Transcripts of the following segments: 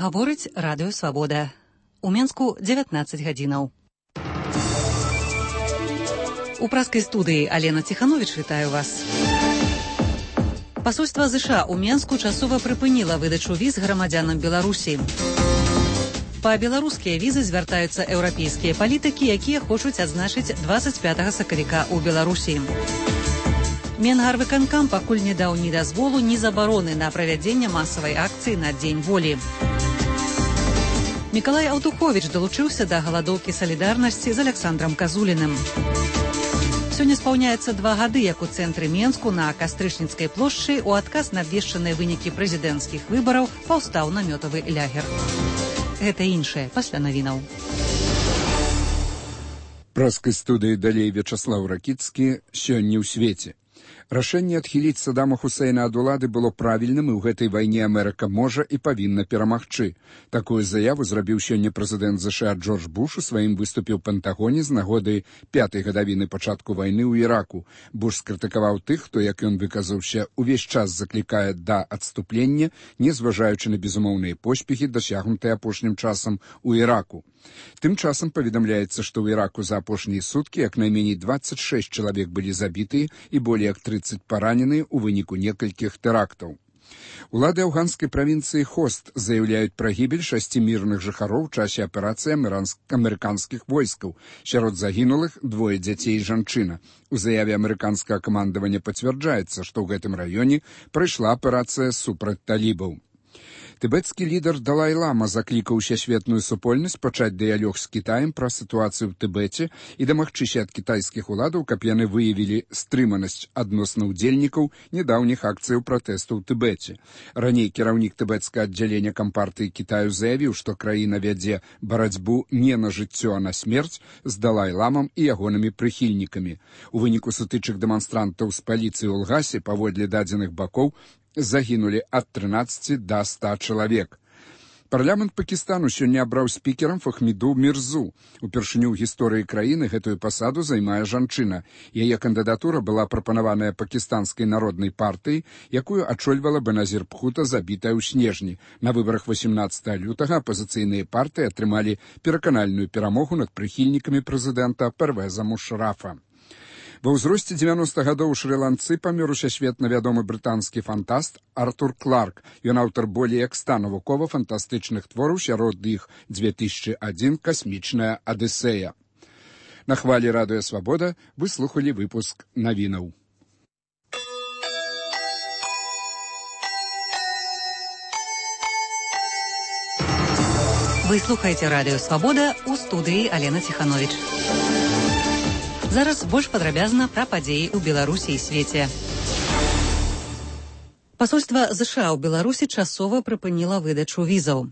Гаворыць радыё «Свабода». У Менску 19 гадзінаў. У праскай студыі Алена Ціхановіч вітаю вас. Пасольства ЗША ў Менску часова прыпыніла выдачу віз грамадзянам Беларусі. Па беларускія візы звяртаюцца еўрапейскія палітыкі, якія хочуць адзначыць 25 сакавіка ў Беларусі. Менгарвыканкам пакуль не даў ні дазволу, ні забароны на правядзенне масавай акцыі на Дзень волі. Мікалай Аўтуховіч далучыўся да галадоўкі салідарнасці з Аляксандрам Казуліным. Сёння спаўняецца 2 гады, як у цэнтры Менску на Кастрычніцкай плошчы у адказ на абвешчаныя вынікі прэзідэнцкіх выбараў паўстаў намётавы лагер. Гэта іншае пасля навінаў. Праскай студыі далей Вячаслаў Ракіцкі сёння ў свеце. Рашэнне адхіліць Саддама Хусейна ад улады было правільным, і ў гэтай вайне Амерыка можа і павінна перамагчы. Такую заяву зрабіў сёння прэзідэнт ЗША Джордж Буш у сваім выступе ў Пентагоне з нагоды 5-й гадавіны пачатку вайны ў Іраку. Буш скрытыкаваў тых, хто, як ён выказаўся, увесь час заклікае да адступлення, не зважаючы на безумоўныя поспехі, дасягнутыя апошнім часам у Іраку. Тым часам паведамляецца, што ў Іраку за апошнія суткі як найменей 26 чалавек былі забітыя і болей як 30 параненыя ў выніку некалькіх тэрактаў. Улады афганскай правінцыі Хост заяўляюць пра гібель 6 мірных жыхароў у часе аперацыі амерыканскіх войскаў. Сярод загінулых 2 дзяцей і жанчына. У заяве амерыканскага камандавання пацвярджаецца, што ў гэтым раёне прайшла аперацыя супраць талібаў. Тыбецкі лідар Далай-лама заклікаў усесветную супольнасць пачаць дыялог з Кітаем пра сітуацыю ў Тыбеце і дамагчыся ад кітайскіх уладаў, каб яны выявілі стрыманасць адносна ўдзельнікаў нядаўніх акцыяў пратэсту ў Тыбеце. Раней кіраўнік тыбецкага аддзялення кампартыі Кітаю заявіў, што краіна вядзе барацьбу не на жыццё, а на смерць з Далай-ламам і ягонымі прыхільнікамі. У выніку сутычак дэманстрантаў з паліцыяй у Лгасе, паводле дадзеных бакоў, загінулі ад 13 да 100 чалавек. Парламент Пакістану сёння абраў спікерам Фахміду Мірзу. Упершыню ў гісторыі краіны гэтую пасаду займае жанчына. Яе кандыдатура была прапанаваная Пакістанскай народнай партыяй, якую ачольвала Беназір Бхута, забітая ў снежні. На выбарах 18 лютага апазіцыйныя партыі атрымалі пераканальную перамогу над прыхільнікамі прэзідэнта Первеза Мушарафа. Ва ўзросце 90 гадоў у Шры-Ланцы памёр усесветна вядомы брытанскі фантаст Артур Кларк. Ён аўтар болей як 100 навукова-фантастычных твораў, сярод іх 2001 «Касмічная Адысея». На хвалі радыё «Свабода» вы слухалі выпуск навінаў. Вы слухаеце радыё «Свабода», у студыі Алена Ціхановіч. Зараз больш падрабязна пра падзеі ў Беларусі і свеце. Пасольства ЗША ў Беларусі часова прыпыніла выдачу візаў.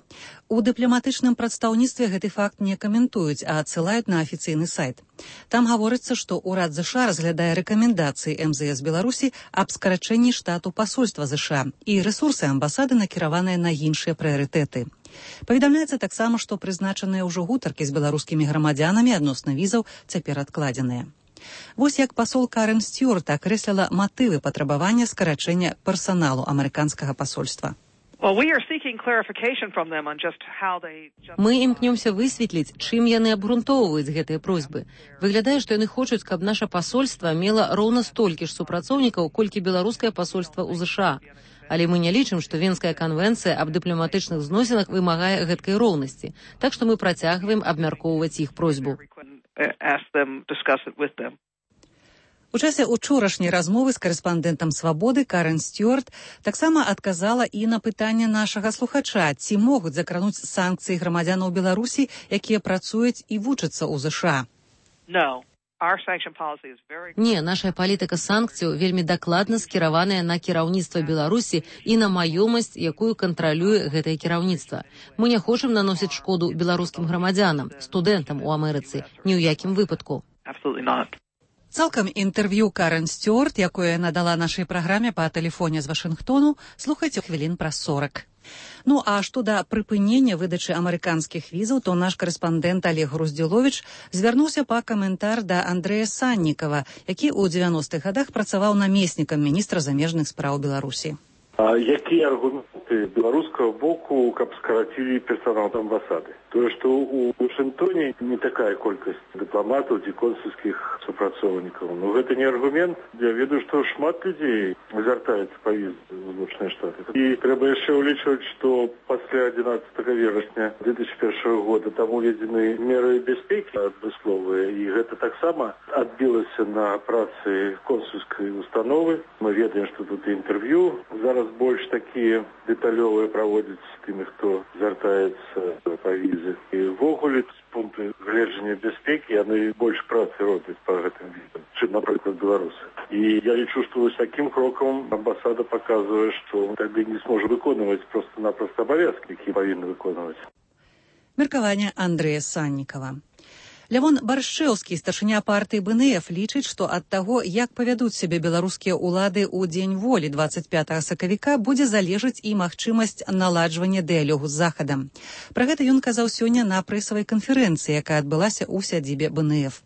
У дыпламатычным прадстаўніцтве гэты факт не каментуюць, а адсылаюць на афіцыйны сайт. Там гаворыцца, што ўрад ЗША разглядае рэкамендацыі МЗС Беларусі аб скарачэнні штату пасольства ЗША, і рэсурсы амбасады накіраваныя на іншыя прыярытэты. Паведамляецца таксама, што прызначаныя ўжо гутаркі з беларускімі грамадзянамі адносна візаў цяпер адкладзеныя. Вось як пасол Карен Стюарт акрэсліла матывы патрабавання скарачэння персаналу амерыканскага пасольства. Мы імкнёмся высветліць, чым яны абгрунтоўваюць гэтыя просьбы. Выглядае, што яны хочуць, каб наша пасольства мела роўна столькі ж супрацоўнікаў, колькі беларускае пасольства ў ЗША. Але мы не лічым, што Венская канвенцыя аб дыпламатычных зносінах вымагае гэткай роўнасці. Так што мы працягваем абмяркоўваць іх просьбу. У часе учорашняй размовы з карэспандэнтам «Свабоды» Карен Стюарт таксама адказала і на пытанне нашага слухача, ці могуць закрануць санкцыі грамадзянаў Беларусі, якія працуюць і вучацца ў ЗША. Не, наша палітыка санкцыяў вельмі дакладна скіраваная на кіраўніцтва Беларусі і на маёмасць, якую кантралюе гэтае кіраўніцтва. Мы не хочам наносіць шкоду беларускім грамадзянам, студэнтам у Амерыцы, ні ў якім выпадку. Цалкам інтэрв'ю Карен Стюарт, якое надала нашай праграме па тэлефоне з Вашынгтону, слухайце хвілін праз 40. Ну а што да прыпынення выдачы амерыканскіх візаў, то наш карэспандэнт Олег Груздзіловіч звярнуўся па каментар да Андрэя Саннікава, які ў 90-х гадах працаваў намеснікам міністра замежных спраў Беларусі. Якія аргументы просьбы белорусского боку, каб скоротили персонал амбассады. То, что у Вашингтоне не такая колькость дипломатов и консульских супрацовников. Но это не аргумент. Я веду, что шмат людей звертаются по визе в Злучные Штаты. И треба еще уличивать, что после 11 вересня 2001 года там уведены меры безпеки адмысловые. И это так само отбилось на працы консульской установы. Мы ведаем, что тут интервью зараз больше такие деталевые проводятся с теми, кто звертается по визе. И в огуле пункты гледжання безпеки, яны больше працы робят по гэтым видам, чем, например, белорусы. И я лечу, что с таким кроком амбассада показывает, что тогда не сможет выконывать просто-напросто обовязки, которые повинны выконывать. Меркаванне Андрэя Саннікава. Лявон Баршчэўскі, старшыня партыі БНФ, лічыць, што ад таго, як павядуць сябе беларускія ўлады ў дзень волі 25 сакавіка, будзе залежаць і магчымасць наладжвання дыялогу з Захадам. Пра гэта ён казаў сёння на прэсавай канферэнцыі, якая адбылася ў сядзібе БНФ.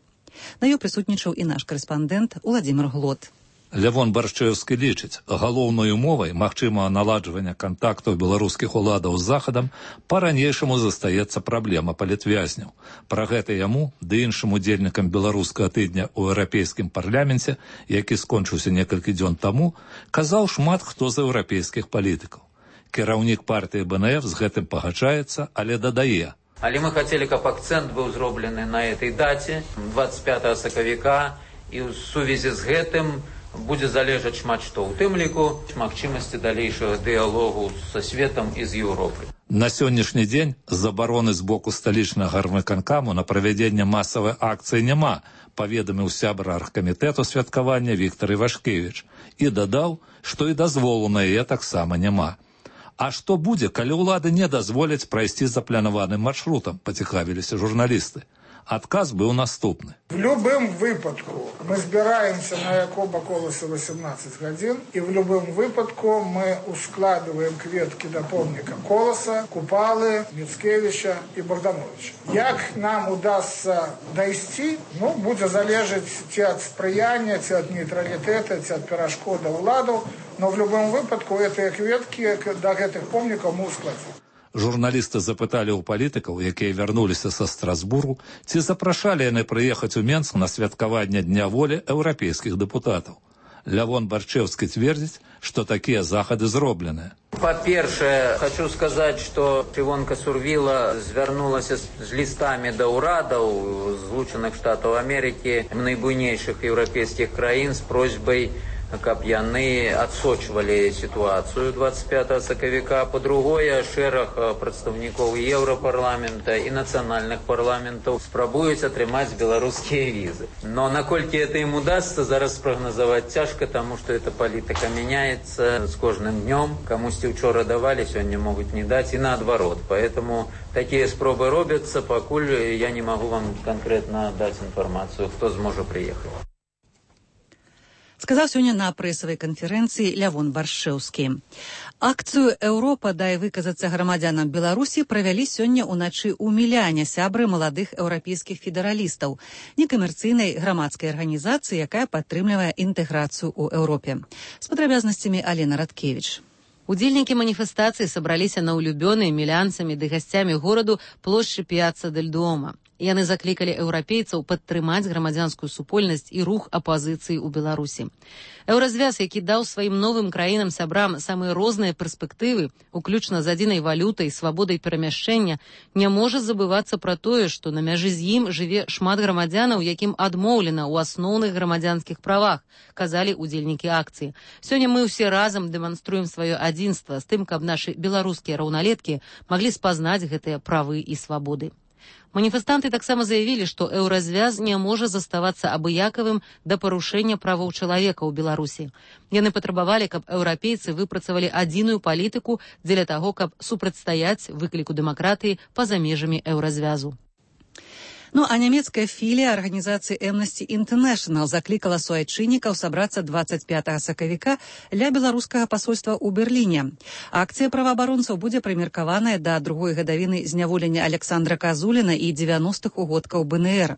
На ёй прысутнічаў і наш карэспандэнт Уладзімір Глот. Лявон Баршчэўскі лічыць, галоўнай умовай магчымага наладжвання кантактаў беларускіх уладаў з Захадам па-ранейшаму застаецца праблема палітвязняў. Пра гэта яму ды іншым удзельнікам беларускага тыдня ў еўрапейскім парламенце, які скончыўся некалькі дзён таму, казаў шмат хто з еўрапейскіх палітыкаў. Кіраўнік партыі БНФ з гэтым пагаджаецца, але дадае. Але мы хацелі, каб акцэнт быў зроблены на этой даце, 25 сакавіка, і ў сувязі з гэтым будзе залежаць шмат што, у тым ліку магчымасці далейшага дыялогу са светам і з Еўропай. На сённяшні дзень забароны з боку сталічнага гарвыканкаму на правядзенне масавай акцыі няма, паведаміў сябра аргкамітэту святкавання Віктар Івашкевіч і дадаў, што і дазволу на яе таксама няма. А што будзе, калі ўлады не дазволяць прайсці запланаваным маршрутам, пацікавіліся журналісты. Адказ быў наступны. В любым выпадку мы збираемся на Якоба Колоса 18 гадзін, и в любым выпадку мы ускладываем кветки до помника Колоса, Купалы, Мицкевича и Богдановича. Як нам удастся дойти, будет залежать ці от сприяния, ці от нейтралитета, ці от пирожков до уладу, но в любом выпадку эти кветки до этих помников мы ускладим. Журналісты запыталі ў палітыкаў, якія вярнуліся са Страсбургу, ці запрашалі яны прыехаць у Менск на святкаванне Дня волі еўрапейскіх дэпутатаў. Лявон Баршчэўскі цвердзіць, што такія захады зробленыя. Па-першае, хочу сказаць, што Івонка Сурвіла звярнулася з лістамі да ўрадаў Злучаных Штатаў Амерыкі, найбуйнейшых еўрапейскіх краін з просьбай, каб яны адсочвалі сітуацыю 25 сакавіка. Па-другое, шэраг прадстаўнікоў Еўрапарламента і нацыянальных парламентаў спрабуюць атрымаць беларускія візы. Но наколькі это ім удасца, зараз спрагназаваць цяжка, таму што эта палітыка мяняецца з кожным днём. Камусьці учора давалі, сёння могуць не даць, і наадварот. Поэтому такія спробы робяцца, пакуль я не магу вам канкрэтна даць інфармацыю, хто зможа прыехаць. Сказаў сёння на прэсавай канферэнцыі Лявон Баршчэўскі. Акцыю «Еўропа, дай выказацца грамадзянам Беларусі» правялі сёння ўначы ў Міляне сябры маладых еўрапейскіх федэралістаў, некамерцыйнай грамадскай арганізацыі, якая падтрымлівае інтэграцыю ў Еўропе. З падрабязнасцямі Алена Радкевіч. Удзельнікі маніфестацыі сабраліся на улюбёнай мілянцамі ды гасцямі гораду плошчы Піацца дель Дуомо. Яны заклікалі еўрапейцаў падтрымаць грамадзянскую супольнасць і рух апазіцыі ў Беларусі. Еўразвяз, які даў сваім новым краінам-сябрам самыя розныя перспектывы, уключна з адзінай валютай, свабодай перамяшчэння, не можа забывацца пра тое, што на мяжы з ім жыве шмат грамадзянаў, якім адмоўлена ў асноўных грамадзянскіх правах, казалі удзельнікі акцыі. Сёння мы ўсе разам дэманструем сваё адзінства з тым, каб нашы беларускія раўналеткі маглі спазнаць гэтыя правы і свабоды. Маніфестанты таксама заявілі, што еўразвяз не можа заставацца абыякавым да парушэння правоў чалавека ў Беларусі. Яны патрабавалі, каб еўрапейцы выпрацавалі адзіную палітыку дзеля таго, каб супрацьстаяць выкліку дэмакратыі па-за межамі еўразвязу. А нямецкая філія арганізацыі Amnesty International заклікала суайчыннікаў сабрацца 25 сакавіка ля беларускага пасольства ў Берліне. Акцыя праваабаронцаў будзе прымеркаваная да другой гадавіны зняволення Александра Казуліна і 90-х угодкаў БНР.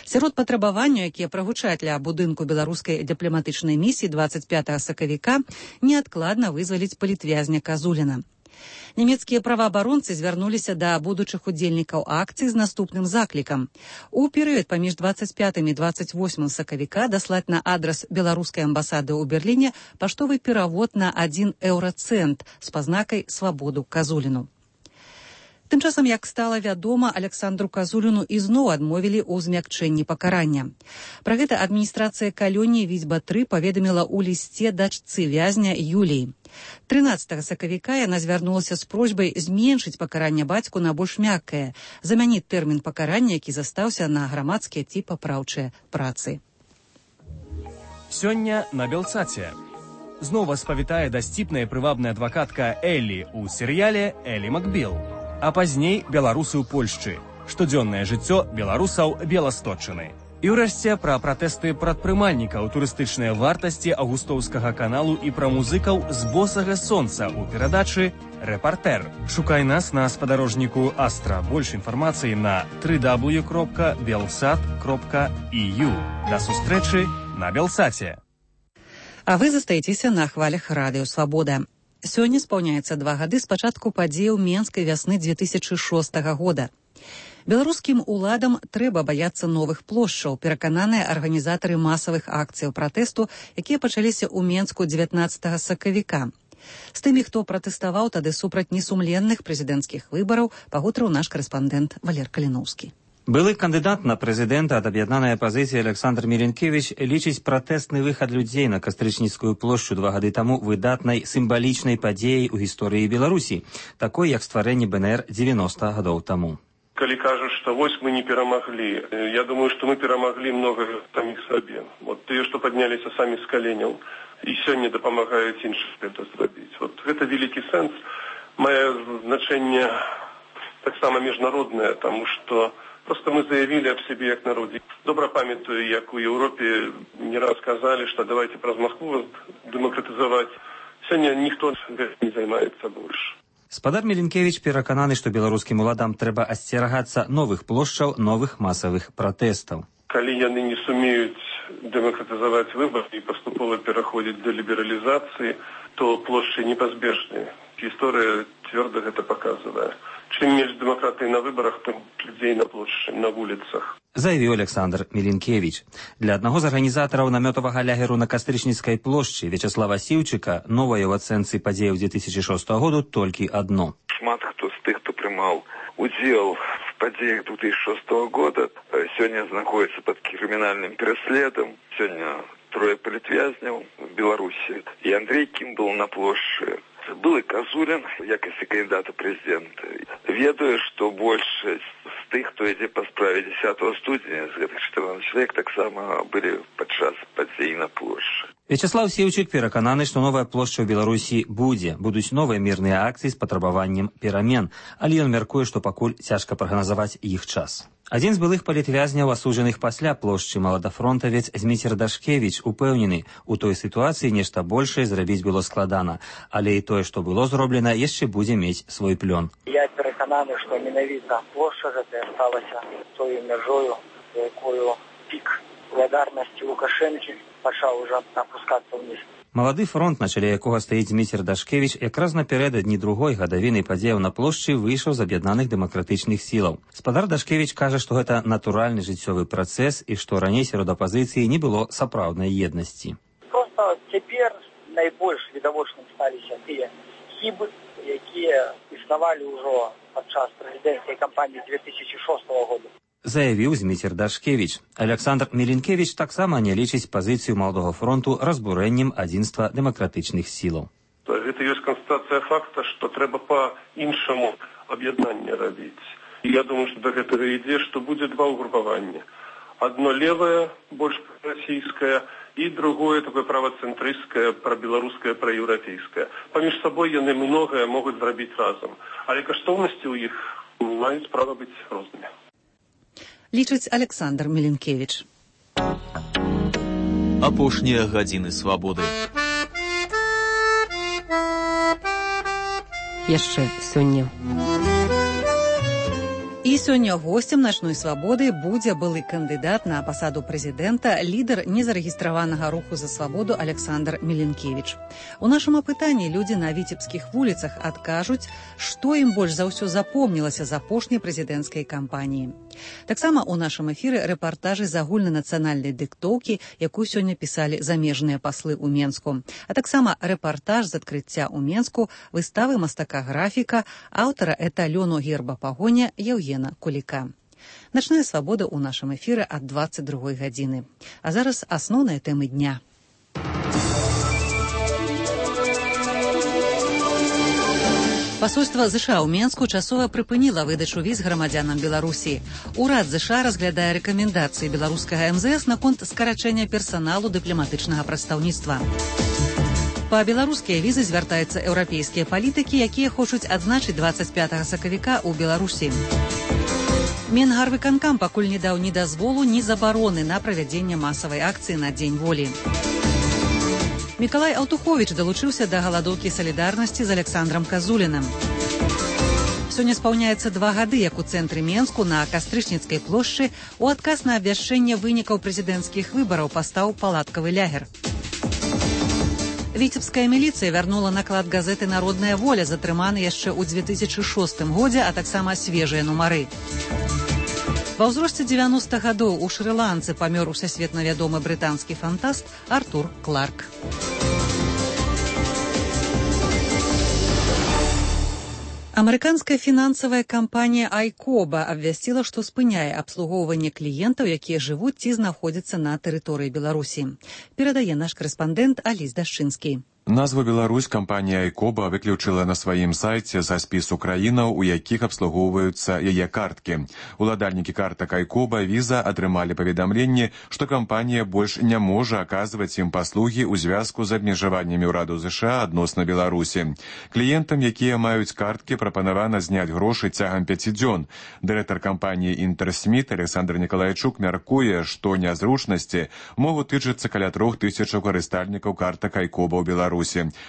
Сярод патрабаванняў, якія прагучаць ля будынку беларускай дыпламатычнай місіі 25 сакавіка, неадкладна вызваліць палітвязня Казуліна. Нямецкія праваабаронцы звярнуліся да будучых удзельнікаў акцыі з наступным заклікам. У перыяд паміж 25 і 28 сакавіка даслаць на адрас беларускай амбасады ў Берліне паштовы перавод на 1 еўрацэнт з пазнакай «Свабоду Казуліну». Тым часам, як стала вядома, Александру Казуліну ізноў адмовілі ў змякчэнні пакарання. Пра гэта адміністрацыя калоніі Віцьба-3 паведаміла ў лісце дачцы вязня Юліі. 13 сакавіка яна звярнулася з просьбай зменшыць пакаранне бацьку на больш мяккае, замяніць тэрмін пакарання, які застаўся на грамадскія ці папраўчыя працы. Сёння на Белсаце. Знова спавітае дасціпная прывабная адвакатка Эллі ў серыяле «Эллі Макбіл». А пазней беларусы ў Польшчы. Штодзённае жыццё беларусаў Беласточчыны. І ўрэшце пра пратэсты прадпрымальнікаў, турыстычныя вартасці Аўгустоўскага каналу і пра музыкаў з босага сонца ў перадачы «Рэпартэр». Шукай нас на спадарожніку Астра. Больш інфармацыі на www.belsat.eu. Да сустрэчы на Белсаце. А вы застаецеся на хвалях радыё «Свабода». Сёння спаўняецца 2 гады з пачатку падзеяў Менскай вясны 2006 года. Беларускім уладам трэба баяцца новых плошчаў, перакананыя арганізатары масавых акцыяў пратэсту, якія пачаліся ў Менску 19 сакавіка. З тымі, хто пратэставаў тады супраць несумленных прэзідэнцкіх выбараў, пагутарыў наш карэспандэнт Валер Каліноўскі. Былы кандыдат на прэзідэнта ад аб'яднанай апазіцыі Александр Міленкевіч лічыць пратэсны выхад людзей на Кастрычніцкую плошчу 2 гады таму выдатнай сімвалічнай падзеяй у гісторыі Беларусі, такой як стварэнне БНР 90 гадоў таму. Калі кажуць, што вось мы не перамаглі, я думаю, што мы перамаглі многа саміх сабе. Вот тыя, што падняліся самі з каленяў і сёння дапамагаюць іншым гэта зрабіць. Вот гэта вялікі сэнс, мае значэнне таксама міжнароднае, таму што просто мы заявили об себе як народе. Добра памятаю, як у Европе не раз сказали, что давайте праз Москву демократизовать. Сегодня никто не займаецца больше. Спадар Міленкевіч перакананы, што беларускім уладам трэба асцерагацца новых плошчаў, новых масавых пратэстаў. Калі яны не сумеюць демократизовать выборы и поступово пераходзіць до либерализации, то плошчы непазбежныя. История твердо это показывает. Чым менш дэмакратыі на выбарах, тым людзей на плошчы, на вуліцах. Заявіў Александр Міленкевіч. Для аднаго з арганізатараў намётавага лягеру на Кастрычніцкай плошчы Вячаслава Сіўчыка новае ў ацэнцы падзеяў 2006 году толькі адно. Шмат хто з тых, хто прымаў удзел в падзеях 2006 года, сёння знаходзіцца пад крымінальным пераследам. Сёння 3 палітвязняў в Беларусі. І Андрей Кімбл на плошчы. Был и Казулин, якости кандидата президента. Ведаю, что большасць з тых, хто ідзе па справе 10 студзеня, з гэтых 14 чалавек таксама былі падчас падзей на плошчы. Вячаслав Сіўчык перакананы, што новая плошча ў Беларусі будзе. Будуць новыя мірныя акцыі з патрабаваннем перамен, але ён мяркуе, што пакуль цяжка прагназаваць іх час. Адзін з былых палітвязняў, асуджаных пасля плошчы, маладафронтавец Зміцер Дашкевіч, упэўнены, у той сітуацыі нешта большае зрабіць было складана, але і тое, што было зроблена, яшчэ будзе мець свой плён. Я перакананы, што менавіта плошча гэтая сталася тою мяжою, якую пік благодарнасці Лукашэнкі пачаў ужо апускацца ўніз. Малады фронт, на чале якога стаіць Зміцер Дашкевіч, якраз напярэдадні другой гадавіны падзеяў на плошчы выйшаў з аб'яднаных дэмакратычных сілаў. Спадар Дашкевіч кажа, што гэта натуральны жыццёвы працэс і што раней сярод апазіцыі не было сапраўднай еднасці. Проста цяпер найбольш відавочным сталіся тыя хібы, якія існавалі ўжо падчас прэзідэнцкай кампаніі 2006 года. Заявіў Зміцер Дашкевіч. Александр Міленкевіч таксама не лічыць пазіцыю Маладога фронту разбурэннем адзінства дэмакратычных сілаў. Гэта ёсць канстатацыя факта, што трэба па-іншаму аб'яднанне рабіць. І я думаю, што да гэтага ідзе, што будзе 2 ўгрупаванні. Одно левое, больш расійскае, і другое такое правацэнтрысцкае, прабеларускае, праеўрапейскае. Паміж сабой яны многае могуць зрабіць разам. Але каштоўнасці ў іх маюць права быць рознымі. Лічыць Александр Міленкевіч. Апошнія гадзіны свабоды. Яшчэ сёння. І І сёння гостем «Начной свабоды» будзе былы кандыдат на пасаду прэзідэнта, лідар незарэгістраванага руху за свабоду Александр Меленкевич. У нашым апытанні людзі на віцебскіх вуліцах адкажуць, што ім больш за ўсё запомнілася з апошняй прэзідэнцкай кампаніі. Таксама ў нашым эфіры рэпартажы з агульнанацыянальнай дыктоўкі, якую сёння пісалі замежныя паслы ў Менску, а таксама рэпартаж з адкрыцця ў Менску выставы мастака-графіка, аўтара эталёну герба пагоня Еўгена Куліка. «Начная свабода» ў нашым эфіры ад 22 гадзіны. А зараз асноўныя тэмы дня. Пасольства ЗША ў Менску часова прыпыніла выдачу віз грамадзянам Беларусі. Урад ЗША разглядае рэкамендацыі беларускага МЗС наконт скарачэння персаналу дыпламатычнага прадстаўніцтва. Па беларускія візы звяртаюцца еўрапейскія палітыкі, якія хочуць адзначыць 25 сакавіка ў Беларусі. Менгарвыканкам пакуль не даў ні дазволу, ні забароны на правядзенне масавай акцыі на Дзень волі. Мікалай Аўтуховіч далучыўся да галадоўкі салідарнасці з Александрам Казуліным. Сёння спаўняецца 2 гады, як у цэнтры Менску на Кастрычніцкай плошчы у адказ на абвяшчэнне вынікаў прэзідэнцкіх выбараў пастаў палаткавы лягер. Віцебская міліцыя вярнула наклад газеты «Народная воля», затрыманы яшчэ ў 2006 годзе, а таксама свежыя нумары. Ва ўзросце 90 гадоў у Шры-Ланцы памёр усесветна вядомы брытанскі фантаст Артур Кларк. Амерыканская фінансавая кампанія «Айкоба» абвясціла, што спыняе абслугоўванне кліентаў, якія жывуць ці знаходзяцца на тэрыторыі Беларусі. Перадае наш карэспандэнт Аліс Дашчынскі. Назву Беларусь кампанія «Айкоба» выключыла на сваім сайце за спісу краінаў, у якіх абслугоўваюцца яе карткі. Уладальнікі картак «Айкоба» віза атрымалі паведамленне, што кампанія больш не можа аказваць ім паслугі ў звязку з абмежаваннямі ўраду ЗША адносна Беларусі. Кліентам, якія маюць карткі, прапанавана зняць грошы цягам 5 дзён. Дырэктар кампаніі «Інтэрсміт» Александр Николайчук мяркуе, што нязручнасці могуць тычыцца каля 3000 карыстальнікаў картак «Айкоба» ў Беларусі.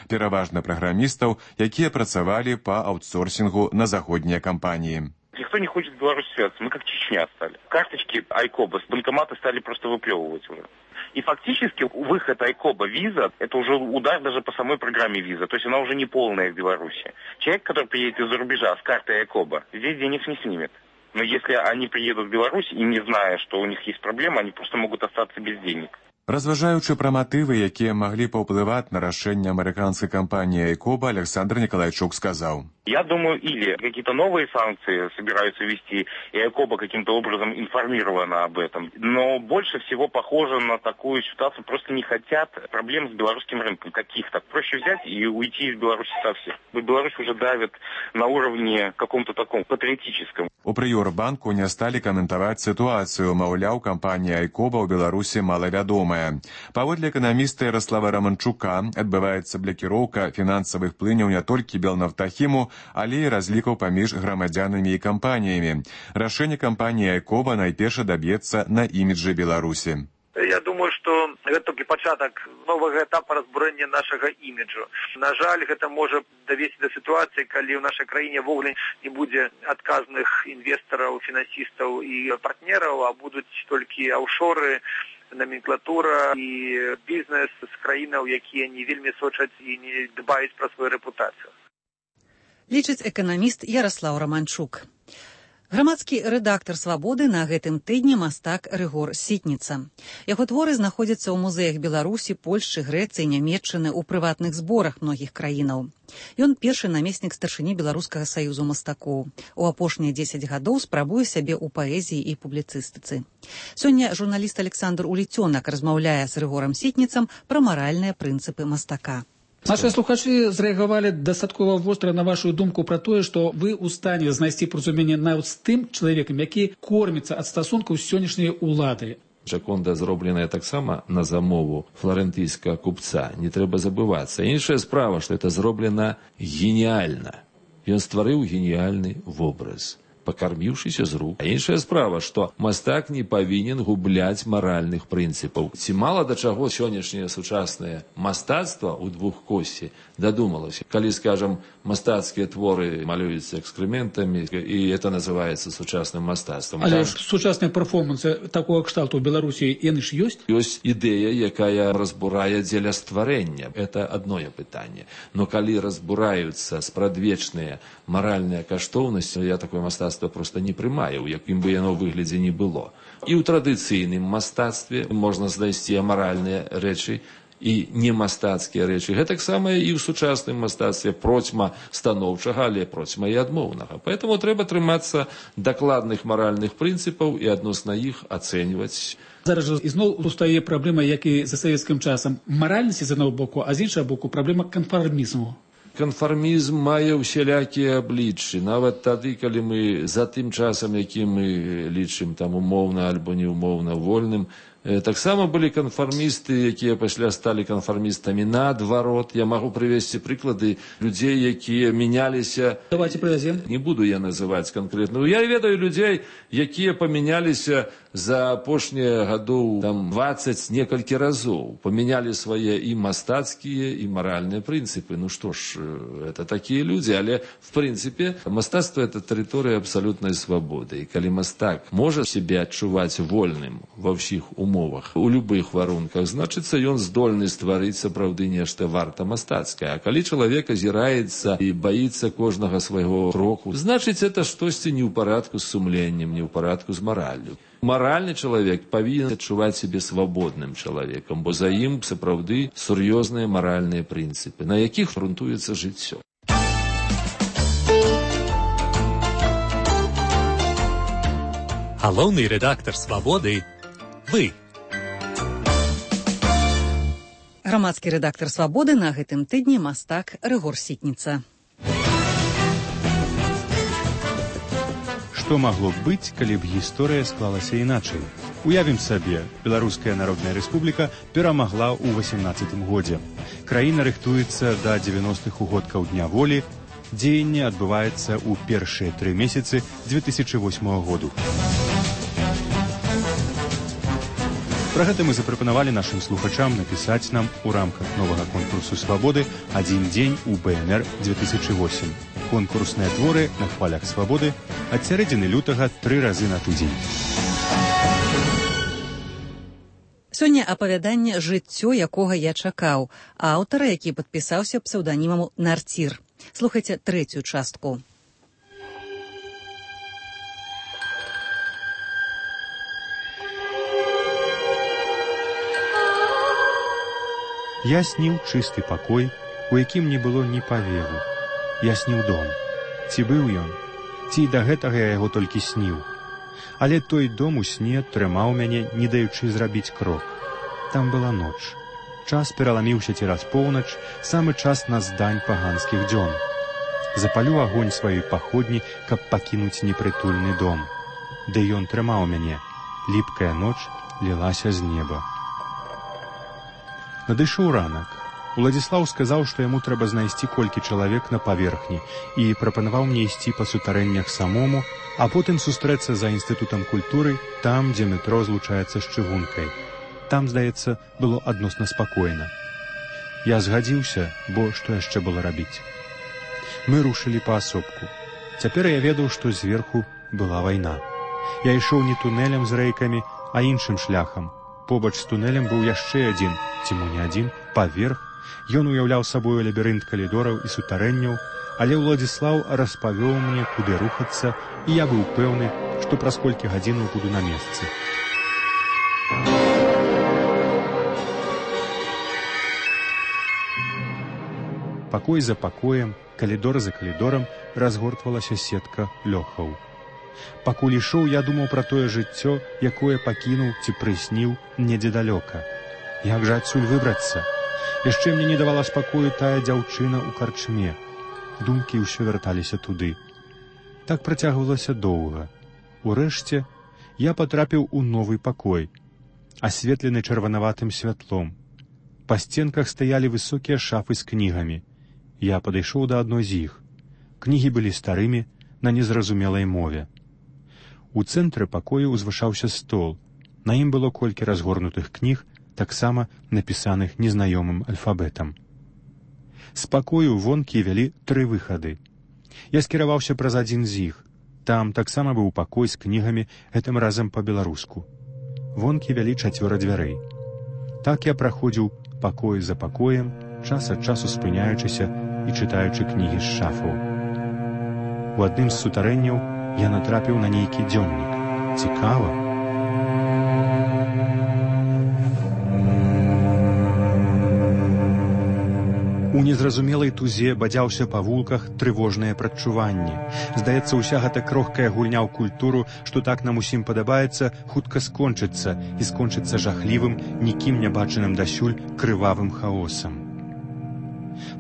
Пераважна праграмістаў, якія працавалі па аутсорсингу на заходнія кампании. Никто не хочет в Беларусь связаться, мы как Чечня стали. Карточки Айкоба с банкомата стали просто выплевывать уже. И фактически выход Айкоба виза, это уже удар даже по самой программе виза, то есть она уже не полная в Беларуси. Человек, который приедет из-за рубежа с картой Айкоба, здесь денег не снимет. Но если они приедут в Беларусь и не зная, что у них есть проблема, они просто могут остаться без денег. Разважаючы пра матывы, якія маглі паўплываць на рашэнне амерыканскай кампаніі «Айкоба», Александр Николайчук сказаў. Я думаю, или какие-то новые санкции собираются ввести, и Айкоба каким-то образом информирована об этом. Но больше всего похоже на такую ситуацию, просто не хотят проблем с белорусским рынком каких-то. Проще взять и уйти из Беларуси совсем. Беларусь уже давит на уровне каком-то таком патриотическом. У Прыёрбанку не сталі каментаваць сітуацыю, маўляў, кампанія «Айкоба» ў Беларусі малавядомая. Паводле эканаміста Ярослава Раманчука адбываецца блакіроўка фінансавых плыняў не толькі Белнафтахіму, але і разлікаў паміж грамадзянамі і кампаніямі. Рашэнне кампаніі «Айкоба» найперш даб'ецца на іміджы Беларусі. Я думаю, што гэта толькі пачатак новага этапа разбурэння нашага іміджу. На жаль, гэта можа давесці да сітуацыі, калі ў нашай краіне ввогуле не будзе адказных інвестараў, фінансістаў і партнераў, а будуць толькі аўфшоры, номенклатура і бізнес з краінаў, якія не вельмі сочаць і не дбаюць пра сваю рэпутацыю. Лічыць эканаміст Ярослаў Раманчук. Грамадскі рэдактар «Свабоды» на гэтым тыдні мастак Рыгор Сітніца. Яго творы знаходзяцца ў музеях Беларусі, Польшчы, Грэцыі, Нямецчыны, у прыватных зборах многіх краінаў. Ён першы намеснік старшыні Беларускага саюзу мастакоў. У апошнія 10 гадоў спрабуе сябе ў паэзіі і публіцыстыцы. Сёння журналіст Александр Уліцёнак размаўляе з Рыгорам Сітніцам пра маральныя прынцыпы мастака. Наши слухачы зрэагавалі дастаткова востра на вашу думку пра тое, што вы ў стане знайсці паразуменне нават з тым чалавекам, які корміцца ад стасункаў з сённяшняй улады. Джаконда зробленая таксама на замову фларэнтыйскага купца, не трэба забывацца. Іншая справа, што это зроблена геніяльна. Ён стварыў геніяльны вобраз. пакарміўшыся з рук. А іншая справа, што мастак не павінен губляць маральных прынцыпаў. Ці мала да чаго сённяшняе сучаснае мастацтва ў двухкосці дадумалася. Калі, скажам, мастацкія творы малююцца экскрементамі, і это называецца сучасным мастацтвам. Але ж сучасныя перформансы такого кшталту ў Беларусі, яны ж ёсць? Ёсць ідэя, якая разбурае дзеля стварэння. Это адное пытанне. Но калі разбураюцца спрадвечныя маральныя каштоўнасці, я такое мастацтва проста не прымаю, у якім бы яно выглядзе не было. І ў традыцыйным мастацтве можна знайсці амаральныя рэчы і немастацкія рэчы. Гэтаксама і ў сучасным мастацтве процьма станоўчага, але процьма і адмоўнага. Поэтому трэба трымацца дакладных маральных прынцыпаў і адносна іх ацэньваць. Зараз жа ізноў устае праблема, як і за савецкім часам, маральнасці з аднаго боку, а з іншага боку праблема канфармізму. Канфармізм мае ўсялякія абліччы. Нават тады, калі мы за тым часам, які мы лічым там умоўна альбо неумоўна вольным, таксама былі канфармісты, якія пасля сталі канфармістамі наадварот. Я магу прывесці прыклады людзей, якія мяняліся. Давайте прывязем. Не буду я называць канкрэтна. Я ведаю людзей, якія памяняліся за апошнія гадоў 20 некалькі разоў. Памянялі свае і мастацкія, і маральныя прынцыпы. Ну што ж, это такія людзі, але в прынцыпе мастацтва — это тэрыторыя абсалютнай свабоды. І калі мастак можа сябе адчуваць вольным ва ўсіх умовах, у любых варунках, значыцца, ён здольны стварыць сапраўды нешта варта мастацкае. А калі чалавек азіраецца і баіцца кожнага свайго кроку, значыць, это штосьці не ў парадку з сумленнем, не ў парадку з мараллю. Маральны чалавек павінен адчуваць сябе свабодным чалавекам, бо за ім сапраўды сур'ёзныя маральныя прынцыпы, на якіх грунтуецца жыццё. Галоўны рэдактар «Свабоды» — вы. Грамадскі рэдактар «Свабоды» на гэтым тыдні мастак Рыгор Сітніца. Што магло б быць, калі б гісторыя склалася іначай? Уявім сабе, Беларуская Народная Рэспубліка перамагла ў 18 годзе. Краіна рыхтуецца да 90-х угодкаў Дня волі. Дзеянне адбываецца ў першыя 3 месяцы 2008 году. Пра гэта мы запрапанавалі нашым слухачам напісаць нам у рамках новага конкурсу «Свабоды» «Адзін дзень у БНР 2008». Конкурсныя творы на хвалях свабоды ад сярэдзіны лютага 3 разы на тыдзень. Сёння апавяданне «Жыццё, якога я чакаў», аўтара, які падпісаўся псеўданімам Нарцір. Слухайце трэцюю частку. Я сніў чысты пакой, у якім не было ні павеву. Я сніў дом. Ці быў ён? Ці да гэтага я яго толькі сніў? Але той дом у сне трымаў мяне, не даючы зрабіць крок. Там была ноч. Час пераламіўся цераз поўнач, самы час на здань паганскіх дзён. Запалю агонь сваёй паходні, каб пакінуць непрытульны дом. Ды ён трымаў мяне. Ліпкая ноч лілася з неба. Надышоў ранак. Уладзіслаў сказаў, што яму трэба знайсці колькі чалавек на паверхні і прапанаваў мне ісці па сутарэннях самому, а потым сустрэцца за інстытутам культуры там, дзе метро злучаецца з чыгункай. Там, здаецца, было адносна спакойна. Я згадзіўся, бо што яшчэ было рабіць? Мы рушылі паасобку. Цяпер я ведаў, што зверху была вайна. Я ішоў не тунэлем з рэйкамі, а іншым шляхам. Побач з тунэлем быў яшчэ адзін, ці мо не адзін, паверх. Ён уяўляў сабою лабірынт калідораў і сутарэнняў, але Уладзіслаў распавёў мне, куды рухацца, і я быў пэўны, што праз колькі гадзінаў буду на месцы. Пакой за пакоем, калідор за калідорам разгортвалася сетка лёхаў. Пакуль ішоў, я думаў пра тое жыццё, якое пакінуў ці прысніў недзе далёка. Як жа адсюль выбрацца? Яшчэ мне не давала спакою тая дзяўчына ў карчме. Думкі ўсё вярталіся туды. Так працягвалася доўга. Урэшце, я патрапіў у новы пакой, асветлены чырванаватым святлом. Па сценках стаялі высокія шафы з кнігамі. Я падышоў да адной з іх. Кнігі былі старымі, на незразумелай мове. У цэнтры пакою ўзвышаўся стол. На ім было колькі разгорнутых кніг, таксама напісаных незнаёмым алфабетам. З пакою вонкі вялі 3 выхады. Я скіраваўся праз адзін з іх. Там таксама быў пакой з кнігамі, гэтым разам па-беларуску. Вонкі вялі 4 дзвярэй. Так я праходзіў пакой за пакоем, час ад часу спыняючыся і чытаючы кнігі з шафаў. У адным з сутарэнняў я натрапіў на нейкі дзённік. Цікава. У незразумелай тузе бадзяўся па вулках трывожныя прадчуванні. Здаецца, уся гэта крохкая гульня ў культуру, што так нам усім падабаецца, хутка скончыцца і скончыцца жахлівым, нікім не бачаным дасюль крывавым хаосам.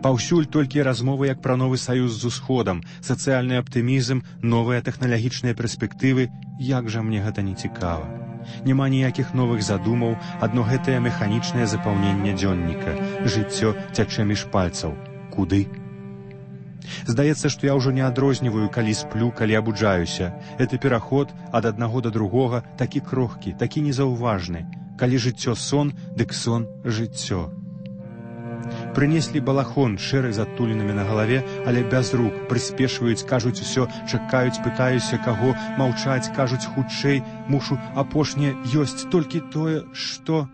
Паўсюль толькі размовы як пра новы саюз з усходам, сацыяльны аптымізм, новыя тэхналагічныя перспектывы. Як жа мне гэта не цікава. Няма ніякіх новых задумаў, адно гэтае механічнае запаўненне дзённіка. Жыццё цячэ між пальцаў. Куды? Здаецца, што я ўжо не адрозніваю, калі сплю, калі абуджаюся. Гэты пераход ад аднаго да другога такі крохкі, такі незаўважны. Калі жыццё сон, дык сон жыццё. Прынеслі балахон шэры з адтулінамі на галаве, але без рук, прыспешваюць, кажуць усё, чакаюць, пытаюся, каго, маўчаць, кажуць хутчэй, мушу апошняе, ёсць толькі тое, што...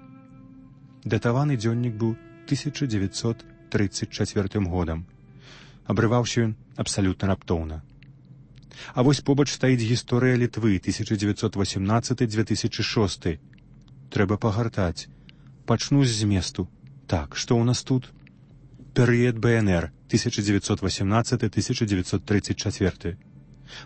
Датаваны дзённік быў 1934 годам. Абрываўся ён абсалютна раптоўна. А вось побач стаіць гісторыя Літвы 1918-2006. Трэба пагартаць. Пачну з зместу. Так, што ў нас тут? Перыяд БНР 1918-1934.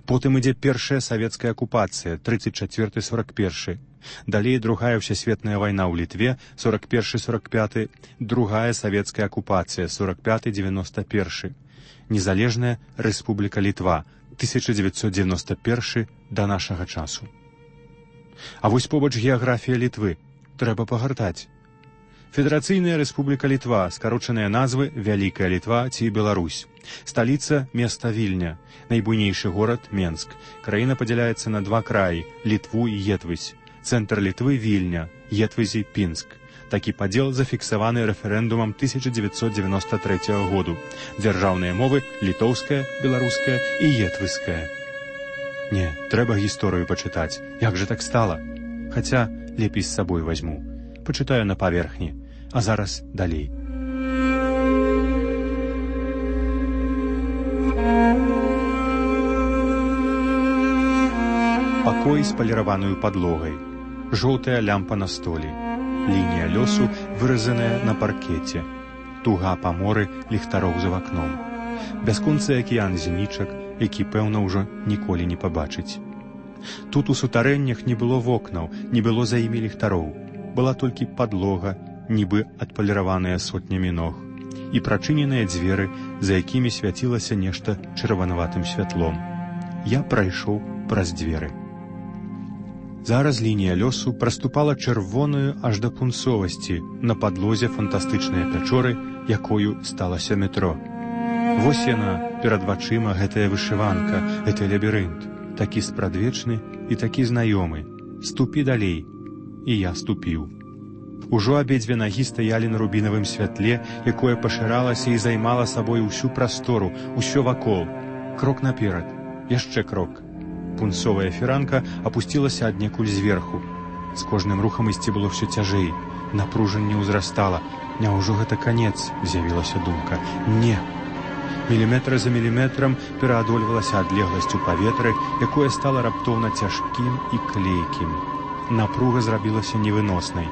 Потым ідзе першая савецкая акупацыя 34-41. Далей другая ўсесветная вайна ў Літве 41-45, другая савецкая акупацыя 45-91. Незалежная Рэспубліка Літва 1991 да нашага часу. А вось побач геаграфія Літвы. Трэба пагартаць. Федэрацыйная Рэспубліка Літва, скарочаныя назвы Вялікая Літва ці Беларусь. Сталіца места Вільня, найбуйнейшы горад Менск. Краіна падзяляецца на 2 краі Літву і Етвысь. Цэнтр Літвы Вільня, Етвызі Пінск. Такі падзел зафіксаваны рэферэндумам 1993 году. Дзяржаўныя мовы літоўская, беларуская і етвыская. Не, трэба гісторыю пачытаць. Як жа так стала? Хаця лепей з сабой вазьму. Пачытаю на паверхні. А зараз далей. Пакой з паліраваною падлогай. Жоўтая лямпа на столі. Лінія лёсу, выразаная на паркеце. Туга па моры ліхтароў за вакном. Бясконцы акіян зенічак, які, пэўна, ўжо ніколі не пабачыць. Тут у сутарэннях не было вокнаў, не было за імі ліхтароў. Была толькі падлога, нібы адпаліраваная сотнямі ног, і прачыненыя дзверы, за якімі свяцілася нешта чырванаватым святлом. Я прайшоў праз дзверы. Зараз лінія лёсу праступала чырвоную аж да пунцовасці на падлозе фантастычныя пячоры, якою сталася метро. Вось яна, перад вачыма, гэтая вышыванка, гэты лабірынт, такі спрадвечны і такі знаёмы. Ступі далей. І я ступіў. Ужо абедзве нагі стаялі на рубінавым святле, якое пашыралася і займала сабой усю прастору, усё вакол. Крок наперад, яшчэ крок. Пунцовая фіранка апусцілася аднекуль зверху. З кожным рухам ісці было ўсё цяжэй. Напружанне ўзрастала. Няўжо гэта канец, з'явілася думка. Не. Міліметр за міліметрам пераадольвалася адлегласць у паветры, якое стала раптоўна цяжкім і клейкім. Напруга зрабілася невыноснай.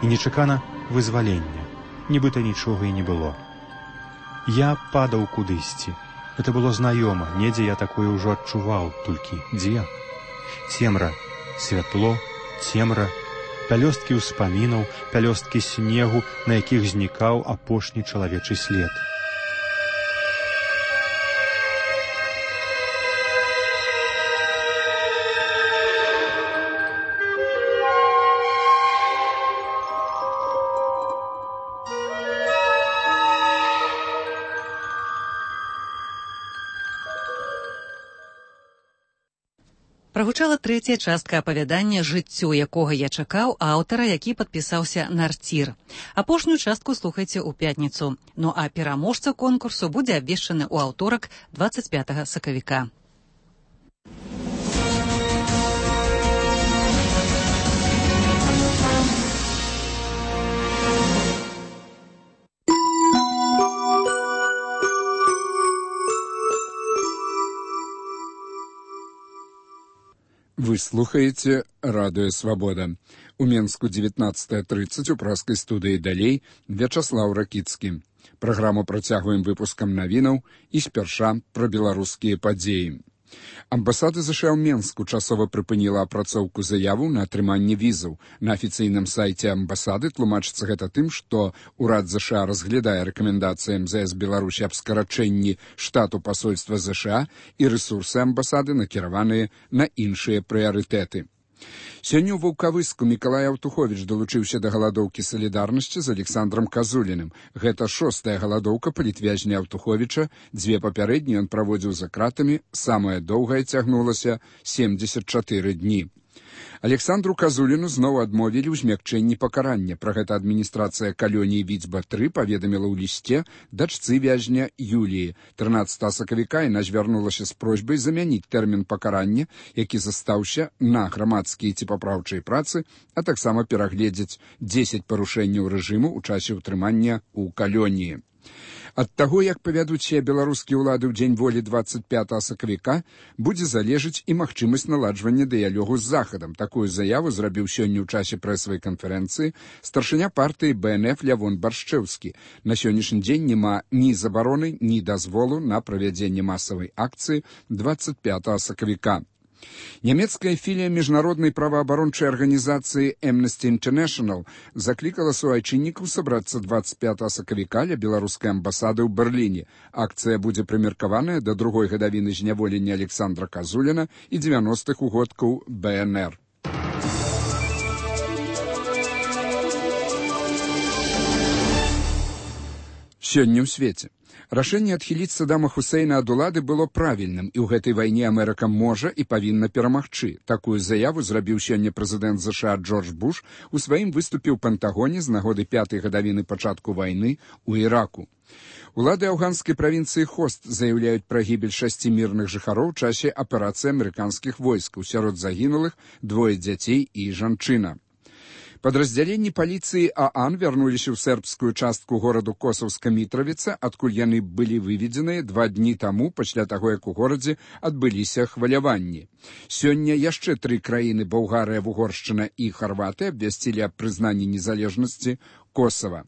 І нечакана вызваленне. Нібыта нічога і не было. Я падаў кудысьці. Это было знаёма, недзе я такое ўжо адчуваў, толькі дзе? Цемра, святло, цемра, пялёсткі ўспамінаў, пялёсткі снегу, на якіх знікаў апошні чалавечы след. Прагучала трэцяя частка апавядання «Жыццё, якога я чакаў» аўтара, які падпісаўся «Нарцір». Апошнюю частку слухайце ў пятніцу. Ну а пераможца конкурсу будзе абвешчаны ў аўторак 25 сакавіка. Вы слухаеце радыё «Свабода». У Менску 19:30 у праскай студыі «Далей» Вячаслаў Ракіцкі. Праграму працягваем выпускам навінаў і спярша пра беларускія падзеі. Амбасада ЗША ў Менску часова прыпыніла апрацоўку заяву на атрыманне візаў. На афіцыйным сайце амбасады тлумачыцца гэта тым, што ўрад ЗША разглядае рэкамендацыі МЗС Беларусі аб скарачэнні штату пасольства ЗША і рэсурсы амбасады накіраваныя на іншыя прыярытэты. Сёння ў Ваўкавыску Мікалай Аўтуховіч далучыўся да галадоўкі салідарнасці з Александром Казуліным. Гэта 6-я галадоўка палітвязня Аўтуховіча. 2 папярэднія ён праводзіў за кратамі, самая доўгая цягнулася 74 дні. Александру Казуліну зноў адмовілі ў змякчэнні пакарання. Пра гэта адміністрацыя калоніі Віцьба-3 паведаміла ў лісце дачцы вязня Юліі. 13 сакавіка яна звярнулася з просьбай замяніць тэрмін пакарання, які застаўся на грамадскія ці папраўчай працы, а таксама перагледзець 10 парушэнняў рэжыму ў часе ўтрымання ў калоніі. Ад таго, як павядуць сябе беларускія ўлады ў дзень волі 25 сакавіка, будзе залежыць і магчымасць наладжвання дыялогу з Захадам. Такую заяву зрабіў сёння ў часе прэсавай канферэнцыі старшыня партыі БНФ Лявон Баршчэўскі. На сённяшні дзень няма ні забароны, ні дазволу на правядзенне масавай акцыі 25 сакавіка. Нямецкая філія міжнароднай праваабарончай арганізацыі Amnesty International заклікала суайчыннікаў сабрацца 25 сакавіка ля беларускай амбасады ў Берліне. Акцыя будзе прымеркаваная да другой гадавіны зняволення Александра Казуліна і 90-х угодкаў БНР. Сёння ў свеце. Рашэнне адхіліць Саддама Хусейна ад улады было правільным, і ў гэтай вайне Амерыка можа і павінна перамагчы. Такую заяву зрабіў сёння прэзідэнт ЗША Джордж Буш у сваім выступе ў Пентагоне з нагоды 5-й гадавіны пачатку вайны ў Іраку. Улады афганскай правінцыі Хост заяўляюць пра гібель 6 мірных жыхароў у часе аперацыі амерыканскіх войскаў. Сярод загінулых 2 дзяцей і жанчына. Падраздзяленні паліцыі ААН вярнуліся ў сербскую частку гораду Косаўска-Мітравіца, адкуль яны былі выведзеныя 2 дні таму, пасля таго, як у горадзе адбыліся хваляванні. Сёння яшчэ 3 краіны — Балгарыя, Вугоршчына і Харватыя — абвясцілі аб прызнанні незалежнасці Косава.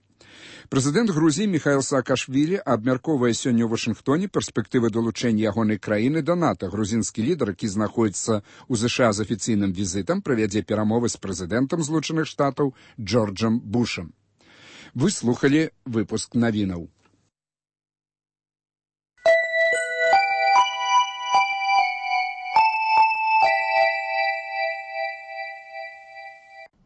Прэзідэнт Грузіі Міхаіл Саакашвілі абмяркоўвае сёння ў Вашынгтоне перспектывы далучэння ягонай краіны да НАТО. Грузінскі лідар, які знаходзіцца ў ЗША з афіцыйным візітам, правядзе перамовы з прэзідэнтам Злучаных Штатаў Джорджам Бушам. Вы слухалі выпуск навінаў.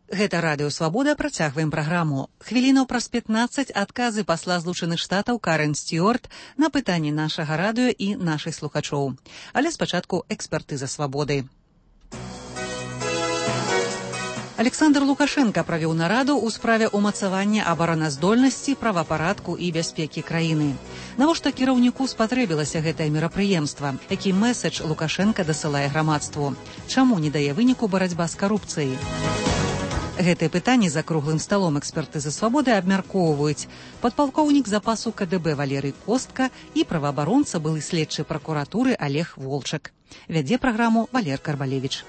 Гэта радыё «Свабода», працягваем праграму. Хвілінаў праз 15 адказы пасла Злучаных Штатаў Карен Стюарт на пытанні нашага радыё і нашых слухачоў. Але спачатку экспертыза «Свабоды». Александр Лукашенко правёў нараду ў справе ўмацавання абараназдольнасці, правапарадку і бяспекі краіны. Навошта кіраўніку спатрэбілася гэтае мерапрыемства? Які мэсэдж Лукашенко дасылае грамадству? Чаму не дае выніку барацьба з карупцыяй? Гэтыя пытанні за круглым сталом экспертызы «Свабоды» абмяркоўваюць падпалкоўнік запасу КДБ Валерый Костка і праваабаронца, былы следчы пракуратуры Олег Волчак. Вядзе праграму Валер Карбалевіч.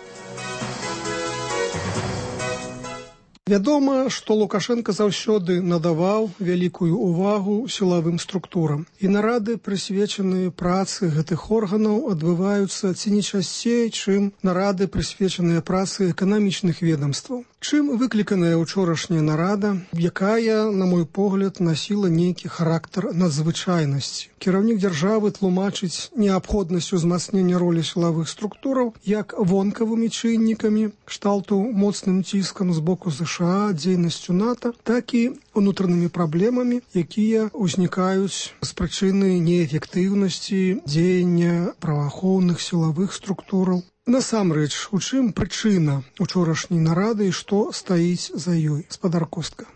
Вядома, што Лукашенко заўсёды надаваў вялікую ўвагу сілавым структурам. І нарады, прысвечаныя працы гэтых органаў, адбываюцца ці не часцей, чым нарады, прысвечаныя працы эканамічных ведомстваў. Чым выкліканая ўчорашняя нарада, якая, на мой погляд, насіла нейкі характар надзвычайнасці. Кіраўнік дзяржавы тлумачыць неабходнасць узмацнення ролі сілавых структураў як вонкавымі чыннікамі, кшталту моцным ціскам з боку ЗША, дзейнасцю НАТО, так і унутранымі праблемамі, якія ўзнікаюць з прычыны неэфектыўнасці дзеяння праваахоўных сілавых структураў. Насамрэч, у чым прычына учорашняй нарады і што стаіць за ёй? Гаспадар Костка.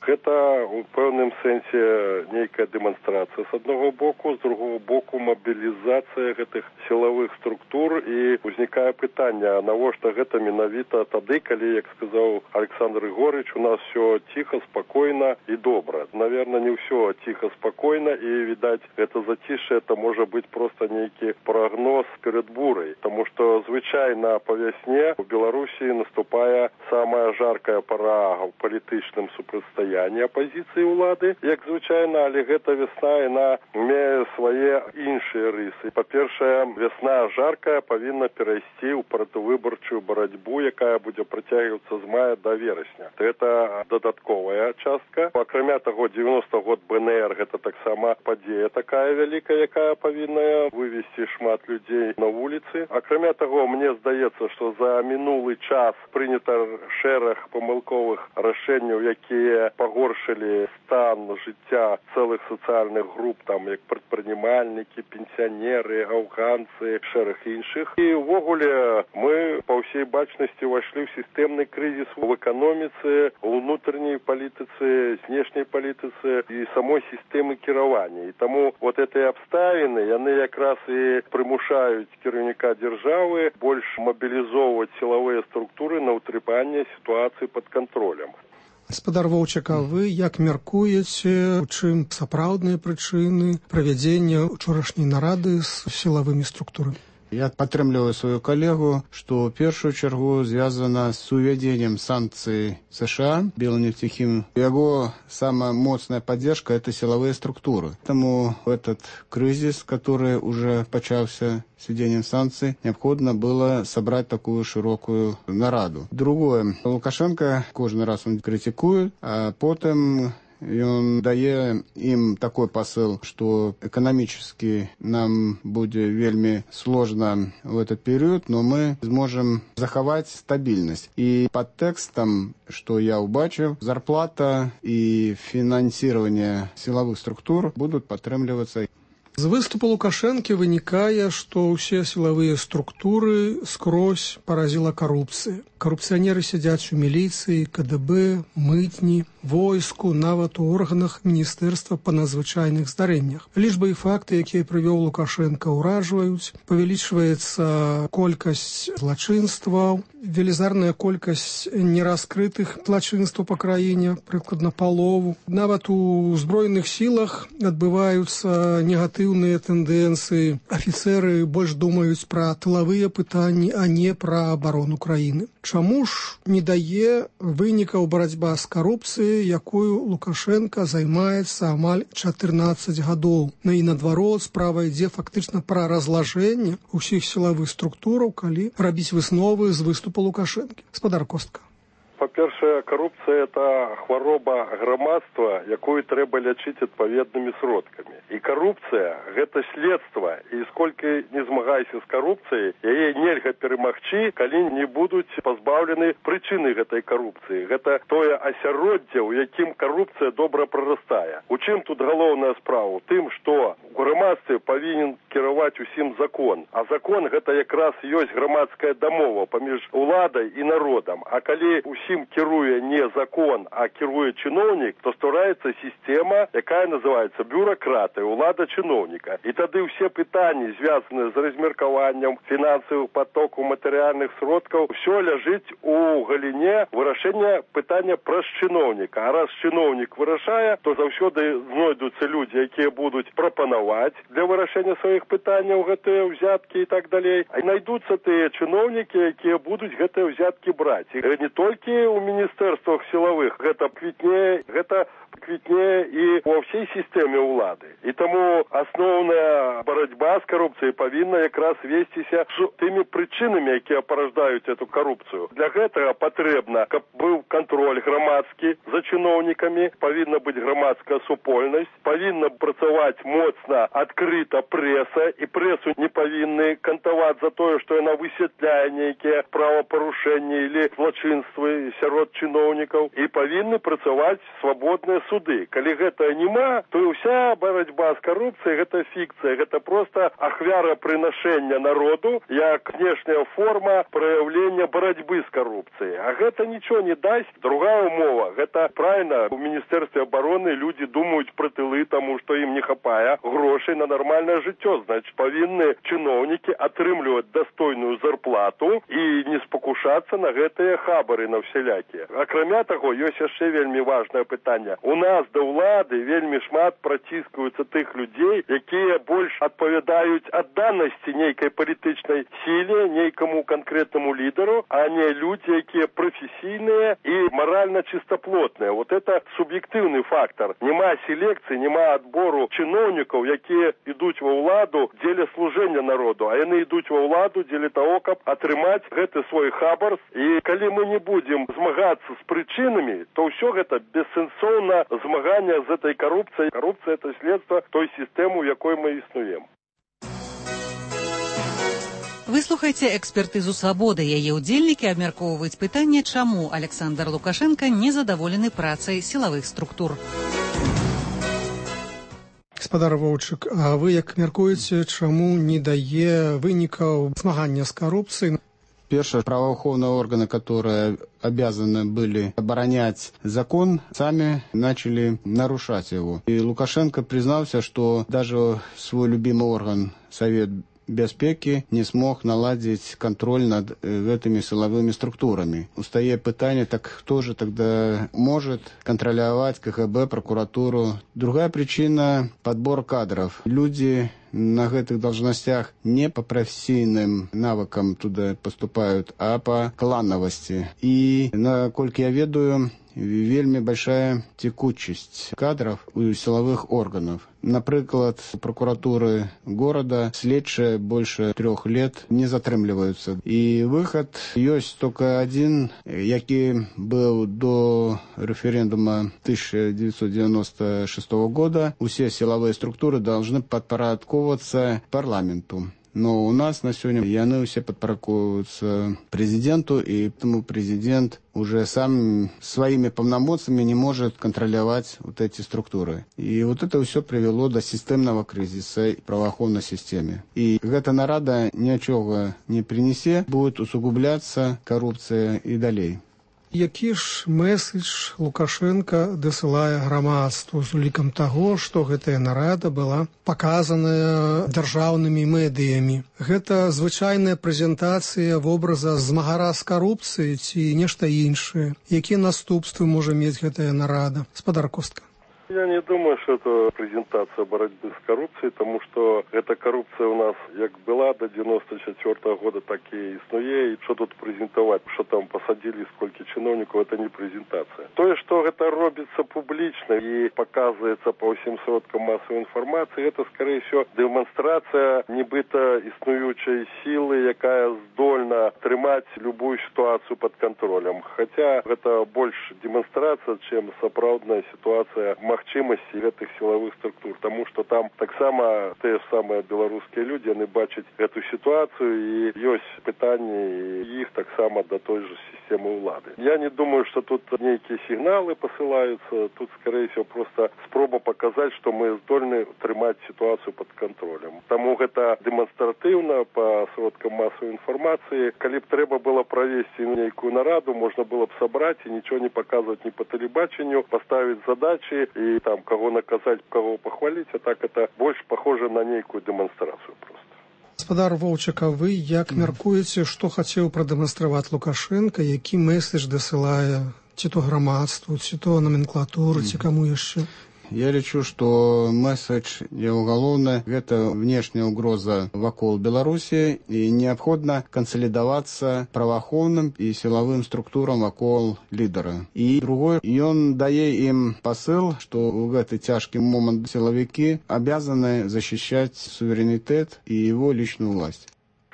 Гэта у пэўным сэнсе нейкая дэманстрацыя з аднаго боку, з другого боку мабілізацыя гэтых сілавых структур, і ўзнікае пытанне, навошта гэта менавіта тады, калі, як сказаў Александр Ігорыч, у нас все ціха, спакойна і добра. Наверное, не ўсё ціха, спакойна, і, відаць, гэта зацішше, это можа быць проста нейкі прагноз перад бурай, таму што звычайна па вясне у Беларусі наступае самая жаркая пара ў палітычным супрацьстаянні апозіцыі ўлады, як звычайна, але гэта вясна, яна мае свае іншыя рысы. Па-першае, вясна жаркая павінна перайсці ў пратывыбарчую барацьбу, якая будзе працягвацца з мая да верасня. Гэта дадатковая частка. Акрамя таго, 90 год БНР гэта таксама падзея такая вялікая, якая павінна вывесці шмат людзей на вуліцы. Акрамя таго, мне здаецца, што за мінулы час прынята шэраг памылковых рашэнняў, якія пагоршылі стан жыцця цэлых сацыяльных груп, там як прадпрымальнікі, пенсіянеры, афганцы, шэраг іншых. І ўвогуле мы па ўсей бачнасці ўвайшлі ў сістэмны крызіс у эканоміцы, у ўнутренняй палітыцы, знешняй палітыцы і самой сістэмы кіравання. І таму вот гэтыя абставіны, яны якраз і прымушаюць кіраўніка дзяржавы больш мабілізоўваць сілавыя структуры на ўтрыманне сітуацыі пад кантролем. Гаспадар Воўчак, а вы як мяркуеце, у чым сапраўдныя прычыны правядзення учорашняй нарады з сілавымі структурамі? Я падтрымліваю сваю калегу, што ў першую чаргу звязана з увядзеннем санкцый США Белнефтехим. Яго самая моцная поддержка – это силовые структуры. Поэтому этот кризис, который уже почался с введением санкций, необходимо было собрать такую широкую нараду. Другое. Лукашенко кожны раз он критикует, а потом он дае им такой посыл, что экономически нам будет вельми сложно в этот период, но мы сможем заховать стабильность. И под текстом, что я убачив, зарплата и финансирование силовых структур будут падтрымлівацца. З выступу Лукашэнкі вынікае, што ўсе сілавыя структуры скрозь паразіла карупцыя. Карупцыянеры сядзяць у міліцыі, КДБ, мытні, войску, нават у органах міністэрства па надзвычайных здарэннях. Лічбы і факты, якія прывёў Лукашенко, ўражваюць. Павялічваецца колькасць злачынстваў, велізарная колькасць нераскрытых злачынстваў па краіне, прыкладна палову. Нават у збройных сілах адбываюцца негатыўныя тэндэнцыі. Афіцэры больш думаюць пра тылавыя пытанні, а не пра абарону краіны. Чаму ж не дае вынікаў барацьба з карупцыяй, якую Лукашенко займаецца амаль 14 гадоў? Ну і наадварот, справа ідзе фактычна пра разлажэнне ўсіх сілавых структураў, калі рабіць высновы з выступу Лукашэнкі. Гаспадар Костка. Па-першае, карупцыя – это хвароба грамадства, якую трэба лячыць адпаведнымі сродкамі. І карупцыя – гэта следства, і сколькі не змагайся з карупцыяй, яе нельга перамагчы, калі не будуць пазбаўлены прычыны гэтай карупцыі. Гэта тое асяроддзе, у якім карупцыя добра прарастае. У чым тут галоўная справа? У тым, што у грамадстве павінен кіраваць усім закон. А закон – гэта якраз ёсць грамадская дамова паміж уладай і народам. А калі усім кіруе не закон, а кіруе чыноўнік, то ствараецца сістэма, якая называецца бюракратыя, улада чыноўніка. І тады ўсе пытанні, звязаныя з размеркаваннем фінансавых патокаў, матэрыяльных сродкаў, ўсё ляжыць у галіне вырашэння пытання праз чыноўніка. А раз чыноўнік вырашае, то заўсёды знойдуцца людзі, якія будуць прапанаваць для вырашэння сваіх пытанняў гэтыя ўзяткі і так далей. А знайдуцца тыя чыноўнікі, якія будуць гэтыя ўзяткі браць. І не толькі у міністэрствах сілавых гэта квітнее і ва ўсей сістэме ўлады. І таму асноўная барацьба з карупцыяй павінна якраз весціся з тымі прычынамі, якія параждаюць эту карупцыю. Для гэтага патрэбна, каб быў кантроль грамадскі за чыноўнікамі, павінна быць грамадская супольнасць, павінна працаваць моцна, адкрыта прэса, і прэсу не павінны кантаваць за тое, што яна высвятляе нейкія правапарушэнні или злачынствы сярод чыноўнікаў і павінны працаваць свабодныя суды. Калі гэта няма, то ўся барацьба з карупцыяй гэта фікцыя, гэта проста ахвярапрынашэння народу як внешняя форма праяўлення барацьбы з карупцыяй. А гэта нічого не дасць. Другая умова, гэта правильно, у Міністэрстве абароны людзі думаюць пра тылы, таму што ім не хапае грошай на нармальнае жыццё. Значыць, павінны чыноўнікі атрымліваць дастойную зарплату і не спакушацца на гэтыя хабары на всялякія. Акрамя таго, ёсць яшчэ вельмі важнае пытанне. У нас да ўлады вельмі шмат праціскаюцца тых людзей, якія больш адпавядаюць адданасці нейкай палітычнай сіле, нейкаму канкрэтнаму лідару, а не людзі, якія прафесійныя і маральна чыстоплотныя. Вот это суб'ектыўны фактор. Нема селекцыі, нема адбору чыноўнікаў, якія ідуць ва ўладу дзеля служэння народу, а яны ідуць ва ўладу дзеля таго, каб атрымаць гэты свой хабар. І калі мы не будзем змагацца з прычынамі, то ўсё гэта бессэнсоўна змагання з этой карупцыяй. Карупцыя – это следства той сістэмы, у якой мы існуем. Выслухайце экспертызу «Свабоды». Яе ўдзельнікі абмяркоўваюць пытанне, чаму Александр Лукашенко незадаволены працай сілавых структур. Гаспадар Воўчык, а вы як мяркуеце, чаму не дае вынікаў змагання з карупцыяй? Первые правоохранные органы, которые обязаны были оборонять закон, сами начали нарушать его. И Лукашенко признался, что даже свой любимый орган, Совет Бяспеки, не смог наладить контроль над этими силовыми структурами. Устае пытание, так кто же тогда может контролировать КГБ, прокуратуру? Другая причина – подбор кадров. Люди на этих должностях не по профессийным навыкам туда поступают, а по клановости. И, насколько я ведаю, вельми большая текучесть кадров у силовых органов. Например, прокуратуры города следчие больше 3 лет не затрымліваюцца. И выход есть только один, який был до референдума 1996 года. Все силовые структуры должны подпорядковываться парламенту. Но у нас на сегодня яны все подпорядковываются президенту, и поэтому президент уже сам своими полномочиями не может контролировать вот эти структуры. И вот это все привело до системного кризиса в правоохранной системе. И эта нарада ничего не принесе, будет усугубляться коррупция и далее. Які ж меседж Лукашенко дасылае грамадству з улікам таго, што гэтая нарада была паказаная дзяржаўнымі медыямі? Гэта звычайная прэзентацыя вобраза змагара з карупцыяй ці нешта іншае? Якія наступствы можа мець гэтая нарада? Гаспадар Костка. Я не думаю, что это презентация борьбы с коррупцией, потому что эта коррупция у нас как была до 94 года, так и иснуе. И что тут презентовать, что там посадили, сколько чиновников, это не презентация. То, что это робится публично и показывается по всем сродкам массовой информации, это, скорее всего, демонстрация нібито існуючої силы, якая здольна тримать любую ситуацию под контролем. Хотя это больше демонстрация, чем сапраўдная ситуация магчымасці гэтых силовых структур, тому что там так само те самые белорусские люди, они бачат эту ситуацию, и есть пытания их так само до той же системы улады. Я не думаю, что тут некие сигналы посылаются, тут, скорее всего, просто спроба показать, что мы здольны тримать ситуацию под контролем. Тому это демонстративно по сродкам массовой информации. Коли б треба было провести некую нараду, можно было бы собрать и ничего не показывать ни по телебачению, поставить задачи и там кого наказать, кого похвалить, а так это больше похоже на некую демонстрацию просто. Гаспадар Воўчык, а вы як мяркуеце, што хацеў прадэманстраваць Лукашенко, які месседж дасылае ці то грамадству, ці то номенклатуру, ці каму яшчэ? Я лечу, что месседж его головный – это внешняя угроза вокруг Беларуси, и необходимо консолидоваться правоохранным и силовым структурам вокруг лидера. И другой, и он дает им посыл, что в этот тяжкий момент силовики обязаны защищать суверенитет и его личную власть.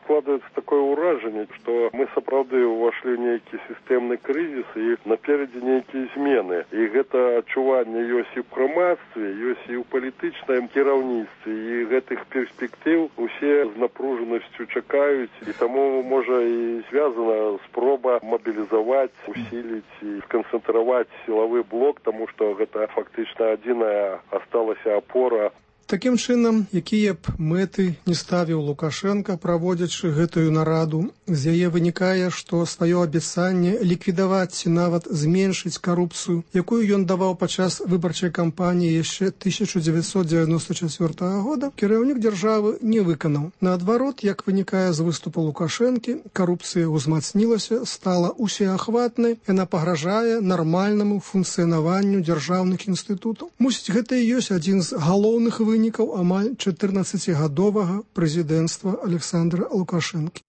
складывается такое ўражанне, што мы сапраўды ўвайшлі ў нейкі сістэмны крызіс і наперадзе нейкія змены. І гэта адчуванне ёсць і ў грамадстве, ёсць і ў палітычным кіраўніцтве. І гэтых перспектыў усе з напружанасцю чакаюць. І таму, можа, і звязана спроба мабілізаваць, усіліць і сканцэнтраваць сілавы блок, таму што гэта фактычна адзіная асталася апора. Такім чынам, якія б мэты не ставіў Лукашенка, праводзячы гэтую нараду, з яе вынікае, што сваё абяцанне ліквідаваць ці нават зменшыць карупцыю, якую ён даваў падчас выбарчай кампаніі яшчэ 1994 года, кіраўнік дзяржавы не выканаў. Наадварот, як вынікае з выступу Лукашэнкі, карупцыя ўзмацнілася, стала усеахватнай, яна пагражае нармальнаму функцыянаванню дзяржаўных інстытутаў. Мусіць, гэта і ёсць адзін з галоўных вынікаў амаль 14-гадовага прэзідэнцтва Александра Лукашэнкі.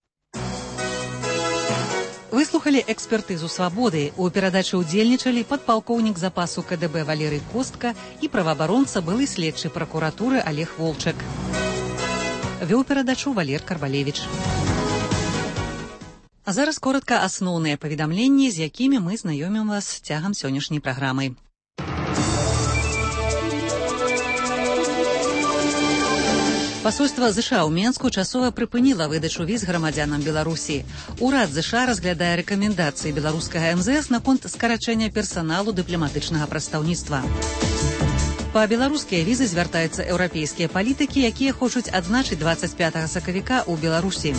Выслухалі экспертызу «Свабоды». У перадачы ўдзельнічалі падпалкоўнік запасу КДБ Валерый Костка і праваабаронца былы следчы пракуратуры Олег Волчак. Вёў перадачу Валер Карбалевіч. А зараз коротка асноўныя паведамленні, з якімі мы знаёмім вас цягам сённяшняй праграмы. Пасольства ЗША ў Менску часова прыпыніла выдачу віз грамадзянам Беларусі. Урад ЗША разглядае рэкамендацыі беларускага МЗС наконт скарачэння персаналу дыпламатычнага прадстаўніцтва. Па беларускія візы звяртаюцца еўрапейскія палітыкі, якія хочуць адзначыць 25 сакавіка ў Беларусі.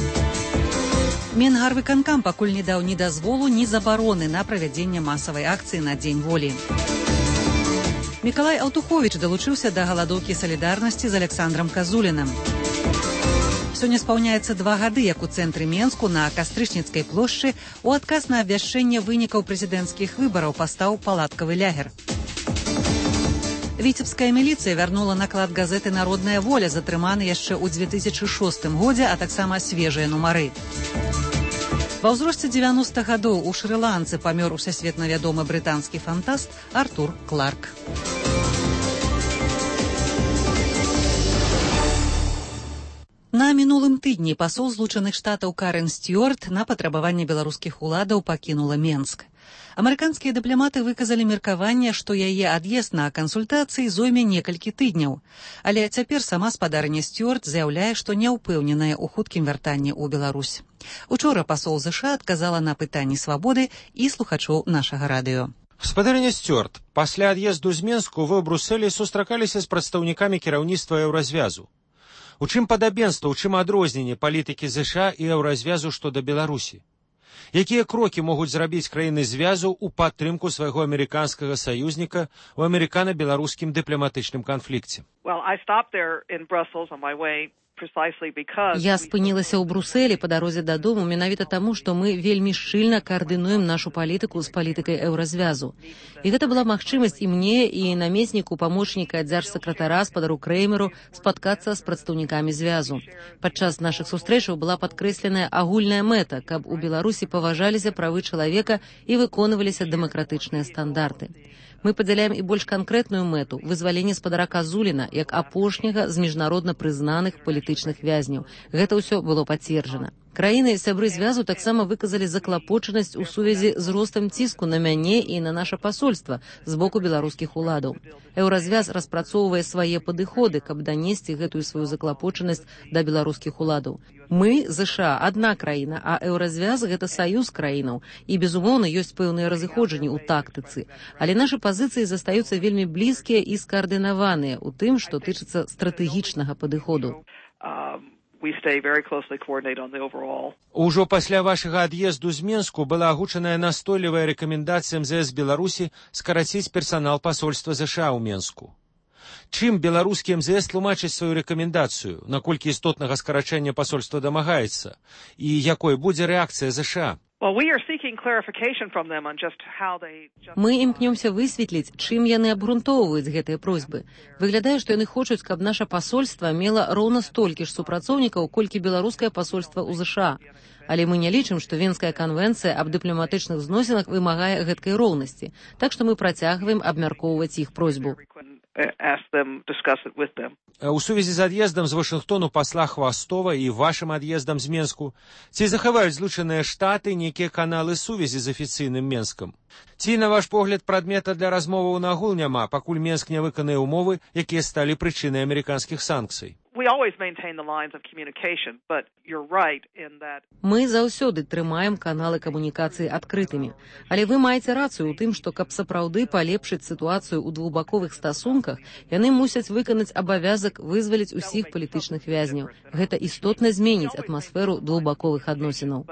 Менгарвыканкам пакуль не даў ні дазволу, ні забароны на правядзенне масавай акцыі на Дзень волі. Мікалай Аўтуховіч далучыўся да галадоўкі салідарнасці з Александрам Казулінам. Сёння спаўняецца 2 гады, як у цэнтры Менску на Кастрычніцкай плошчы у адказ на абвяшчэнне вынікаў прэзідэнцкіх выбараў пастаў палаткавы лягер. Віцебская міліцыя вярнула наклад газеты «Народная воля», затрыманы яшчэ ў 2006 годзе, а таксама свежыя нумары. Ва ўзросце 90 гадоў у Шры-Ланцы памёр усесветна вядомы брытанскі фантаст Артур Кларк. На мінулым тыдні пасол Злучаных Штатаў Карен Стюарт на патрабаванне беларускіх уладаў пакінула Менск. Амерыканскія дыпламаты выказалі меркаванне, што яе ад'езд на кансультацыі зойме некалькі тыдняў. Але цяпер сама спадарня Стюарт заяўляе, што не ўпэўненая ў хуткім вяртанні ў Беларусь. Учора пасол ЗША адказала на пытанні «Свабоды» і слухачоў нашага радыё. Спадарня Стюарт, пасля ад'езду з Менску вы ў Брусэлі сустракаліся з прадстаўнікамі кіраўніцтва еўразвязу. У чым падабенства, у чым адрозненне палітыкі ЗША і еўразвязу што да Беларусі? Якія крокі могуць зрабіць краіны звязу ў падтрымку свайго амерыканскага саюзніка ў амерыкана-беларускім дыпламатычным канфлікце? Я спынілася ў Брусэлі па дарозе дадому менавіта таму, што мы вельмі шчыльна каардынуем нашу палітыку з палітыкай еўразвязу. І гэта была магчымасць і мне, і намесніку памочніка дзяржсакратара спадару Крэймеру спаткацца з прадстаўнікамі звязу. Падчас нашых сустрэчаў была падкрэсленая агульная мэта, каб у Беларусі паважаліся правы чалавека і выконваліся дэмакратычныя стандарты. Мы падзяляем і больш канкрэтную мэту – вызваленне спадара Казуліна як апошняга з міжнародна прызнаных палітычных вязняў. Гэта ўсё было пацверджана. Краіны сябры звязу таксама выказалі заклапочанасць у сувязі з ростам ціску на мяне і на наша пасольства з боку беларускіх уладаў. Еўразвяз распрацоўвае свае падыходы, каб данесці гэтую сваю заклапочанасць да беларускіх уладаў. Мы, ЗША, адна краіна, а еўразвяз – гэта саюз краінаў. І, безумоўна, ёсць пэўныя разыходжанні ў тактыцы. Але нашы пазіцыі застаюцца вельмі блізкія і скаардынаваныя ў тым, што тычыцца стратэгічнага падыходу. Ужо пасля вашага ад'езду з Менску была агучаная настойлівая рэкамендацыя МЗС Беларусі скараціць персанал пасольства ЗША ў Менску. Чым беларускі МЗС тлумачыць сваю рэкамендацыю, наколькі істотнага скарачэння пасольства дамагаецца, і якой будзе рэакцыя ЗША? Мы імкнёмся высветліць, чым яны абгрунтоўваюць гэтыя просьбы. Выглядае, што яны хочуць, каб наша пасольства мела роўна столькі ж супрацоўнікаў, колькі беларускае пасольства ў ЗША. Але мы не лічым, што Венская канвенцыя аб дыпламатычных зносінах вымагае гэткай роўнасці, так што мы працягваем абмяркоўваць іх просьбу. У сувязі з ад'ездам з Вашынгтону пасла Хвастова і вашым ад'ездам з Менску, ці захаваюць Злучаныя Штаты нейкія каналы сувязі з афіцыйным Менскам? Ці, на ваш погляд, прадмета для размоваў нагул няма, пакуль Менск не выканае ўмовы, якія сталі прычынай амерыканскіх санкцый? Мы заўсёды трымаем каналы камунікацыі адкрытымі. Але вы маеце рацыю ў тым, што каб сапраўды палепшыць сітуацыю ў двухбаковых стасунках, яны мусяць выканаць абавязак вызваліць усіх палітычных вязняў. Гэта істотна зменіць атмасферу двухбаковых адносінаў.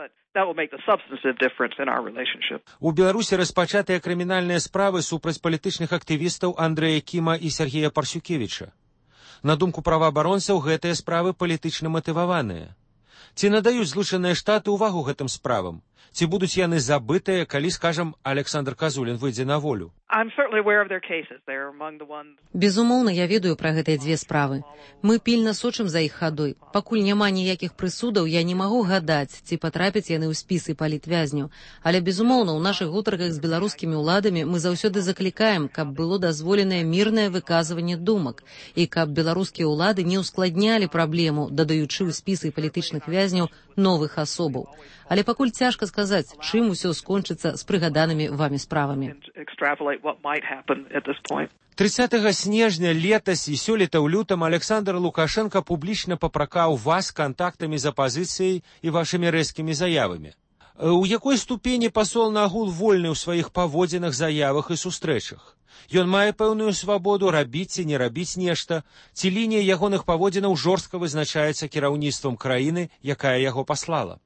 У Беларусі распачатыя крымінальныя справы супраць палітычных актывістаў Андрэя Кіма і Сергея Парсюкевіча. На думку праваабаронцаў, гэтыя справы палітычна матываваныя. Ці надаюць Злучаныя Штаты ўвагу гэтым справам? Ці будуць яны забытыя, калі, скажам, Александр Казулін выйдзе на волю? Безумоўна, я ведаю пра гэтыя дзве справы. Мы пільна сочым за іх хадой. Пакуль няма ніякіх прысудаў, я не магу гадаць, ці патрапяць яны ў спісы палітвязняў. Але, безумоўна, у нашых гутарках з беларускімі ўладамі мы заўсёды заклікаем, каб было дазволенае мірнае выказванне думак і каб беларускія ўлады не ўскладнялі праблему, дадаючы ў спісы палітычных вязняў новых асобаў. Але пакуль цяжка сказаць, чым усё скончыцца з прыгаданымі вамі справамі. 30 снежня летась і сёлета ў лютам Александр Лукашенко публічна папракаў вас кантактамі з апазіцыяй і вашымі рэзкімі заявамі. У якой ступені пасол нагул вольны ў сваіх паводзінах, заявах і сустрэчах? Ён мае пэўную свабоду рабіць ці не рабіць нешта, ці лінія ягоных паводзінаў жорстка вызначаецца кіраўніцтвам краіны, якая яго паслала?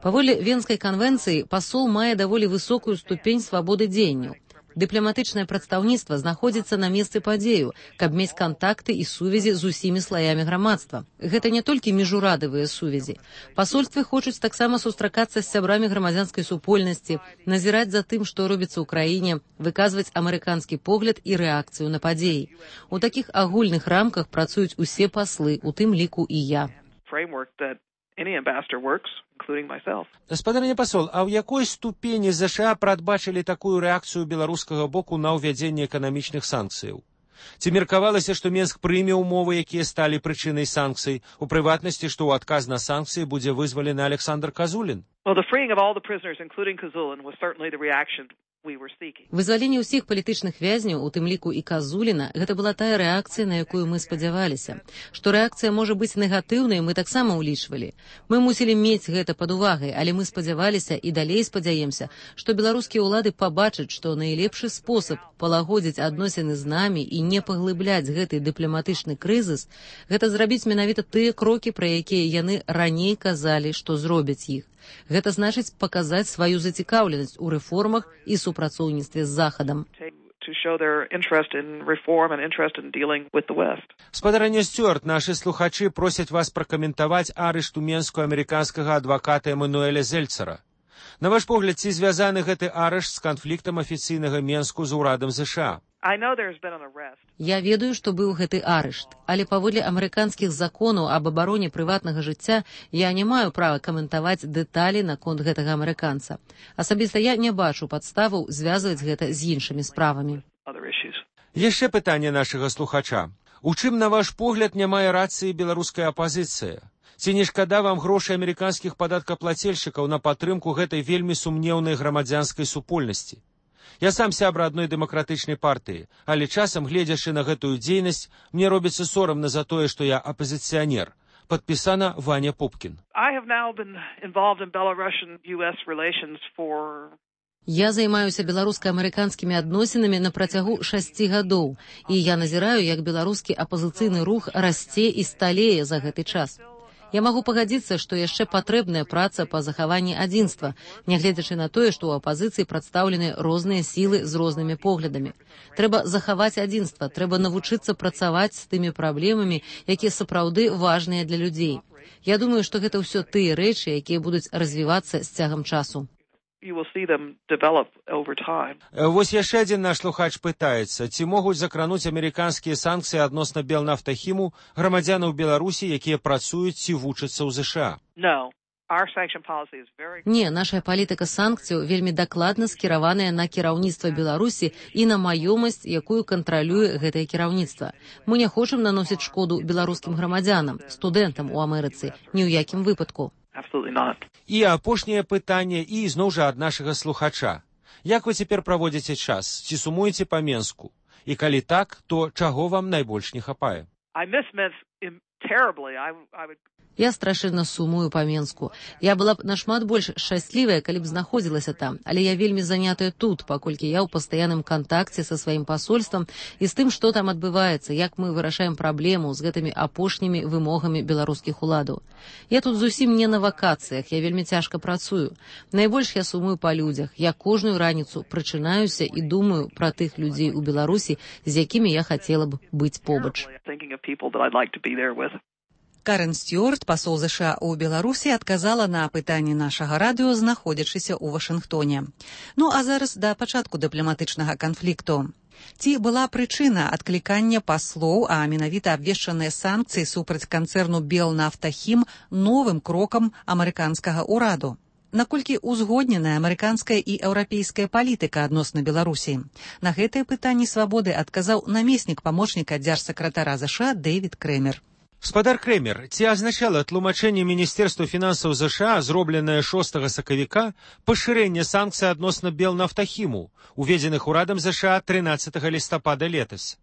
Паводле Венскай канвенцыі пасол мае даволі высокую ступень свабоды дзеянняў. Дыпламатычнае прадстаўніцтва знаходзіцца на месцы падзею, каб мець кантакты і сувязі з усімі слаямі грамадства. Гэта не толькі міжурадавыя сувязі. Пасольствы хочуць таксама сустракацца з сябрамі грамадзянскай супольнасці, назіраць за тым, што робіцца ў краіне, выказваць амерыканскі погляд і рэакцыю на падзеі. У такіх агульных рамках працуюць усе паслы, у тым ліку і я. Гаспадарня пасол, а ў якой ступені ЗША прадбачылі такую рэакцыю беларускага боку на ўвядзенне эканамічных санкцыяў? Ці меркавалася, што Менск прыме ўмовы, якія сталі прычынай санкцый, у прыватнасці, што ў адказ на санкцыі будзе вызвалены Александр Казулін? Вызваленне ўсіх палітычных вязняў, у тым ліку і Казуліна, гэта была тая рэакцыя, на якую мы спадзяваліся. Што рэакцыя можа быць негатыўнай, мы таксама ўлічвалі. Мы мусілі мець гэта пад увагай, але мы спадзяваліся і далей спадзяемся, што беларускія ўлады пабачаць, што найлепшы спосаб палагодзіць адносіны з намі і не паглыбляць гэты дыпламатычны крызіс, гэта зрабіць менавіта тыя крокі, пра якія яны раней казалі, што зробяць іх. Гэта значыць паказаць сваю зацікаўленасць у рэформах і супрацоўніцтве з Захадам. Спадарня Стюарт, нашы слухачы просяць вас пракаментаваць арышт у Менску амерыканскага адваката Эмануэля Зельцера. На ваш погляд, ці звязаны гэты арышт з канфліктам афіцыйнага Менску з урадам ЗША? Я ведаю, што быў гэты арышт, але паводле амерыканскіх законаў аб абароне прыватнага жыцця я не маю права каментаваць дэталі наконт гэтага амерыканца. Асабіста я не бачу падставаў звязваць гэта з іншымі справамі. Яшчэ пытанне нашага слухача. У чым, на ваш погляд, не мае рацыі беларуская апазіцыя? Ці не шкада вам грошай амерыканскіх падаткаплацельшчыкаў на падтрымку гэтай вельмі сумнеўнай грамадзянскай супольнасці? Я сам сябра адной дэмакратычнай партыі, але часам, гледзячы на гэтую дзейнасць, мне робіцца сорамна за тое, што я апазіцыянер. Падпісана Ваня Пупкін. Я займаюся беларуска-амерыканскімі адносінамі на працягу 6 гадоў, і я назіраю, як беларускі апазіцыйны рух расце і сталее за гэты час. Я магу пагадзіцца, што яшчэ патрэбная праца па захаванні адзінства, нягледзячы на тое, што ў апазіцыі прадстаўлены розныя сілы з рознымі поглядамі. Трэба захаваць адзінства, трэба навучыцца працаваць з тымі праблемамі, якія сапраўды важныя для людзей. Я думаю, што гэта ўсё тыя рэчы, якія будуць развівацца з цягам часу. Вось яшчэ адзін наш слухач пытаецца, ці могуць закрануць амерыканскія санкцыі адносна Белнафтахіму грамадзянаў Беларусі, якія працуюць ці вучацца ў ЗША? Не, наша палітыка санкцыяў вельмі дакладна скіраваная на кіраўніцтва Беларусі і на маёмасць, якую кантралюе гэтае кіраўніцтва. Мы не хочам наносіць шкоду беларускім грамадзянам, студэнтам у Амерыцы, ні ў якім выпадку. І апошняе пытанне, і зноў жа ад нашага слухача. Як вы цяпер праводзіце час? Ці сумуеце па Менску? І калі так, то чаго вам найбольш не хапае? Я страшэнна сумую па Менску. Я была б нашмат больш шчаслівая, калі б знаходзілася там, але я вельмі занятая тут, паколькі я ў пастаянным кантакце са сваім пасольствам і з тым, што там адбываецца, як мы вырашаем праблему з гэтымі апошнімі вымогамі беларускіх уладаў. Я тут зусім не на вакацыях, я вельмі цяжка працую. Найбольш я сумую па людзях. Я кожную раніцу прачынаюся і думаю пра тых людзей у Беларусі, з якімі я хацела б быць побач. Карен Стюарт, пасол ЗША ў Беларусі, адказала на пытанні нашага радыё, знаходзячыся ў Вашынгтоне. Ну а зараз да пачатку дыпламатычнага канфлікту. Ці была прычына адклікання паслоў, а менавіта абвешчаныя санкцыі супраць канцэрну Белнафтахім новым крокам амерыканскага ўраду? Наколькі узгодненая амерыканская і еўрапейская палітыка адносна Беларусі? На гэтае пытанне «Свабоды» адказаў намеснік памочніка дзяржсакратара ЗША Дэвід Крэмер. Спадар Крэмер, ці азначала тлумачэнне Міністэрства фінансаў ЗША, зробленае 6 сакавіка, пашырэнне санкцый адносна Белнафтахіму, уведзеных урадам ЗША 13 лістапада летась?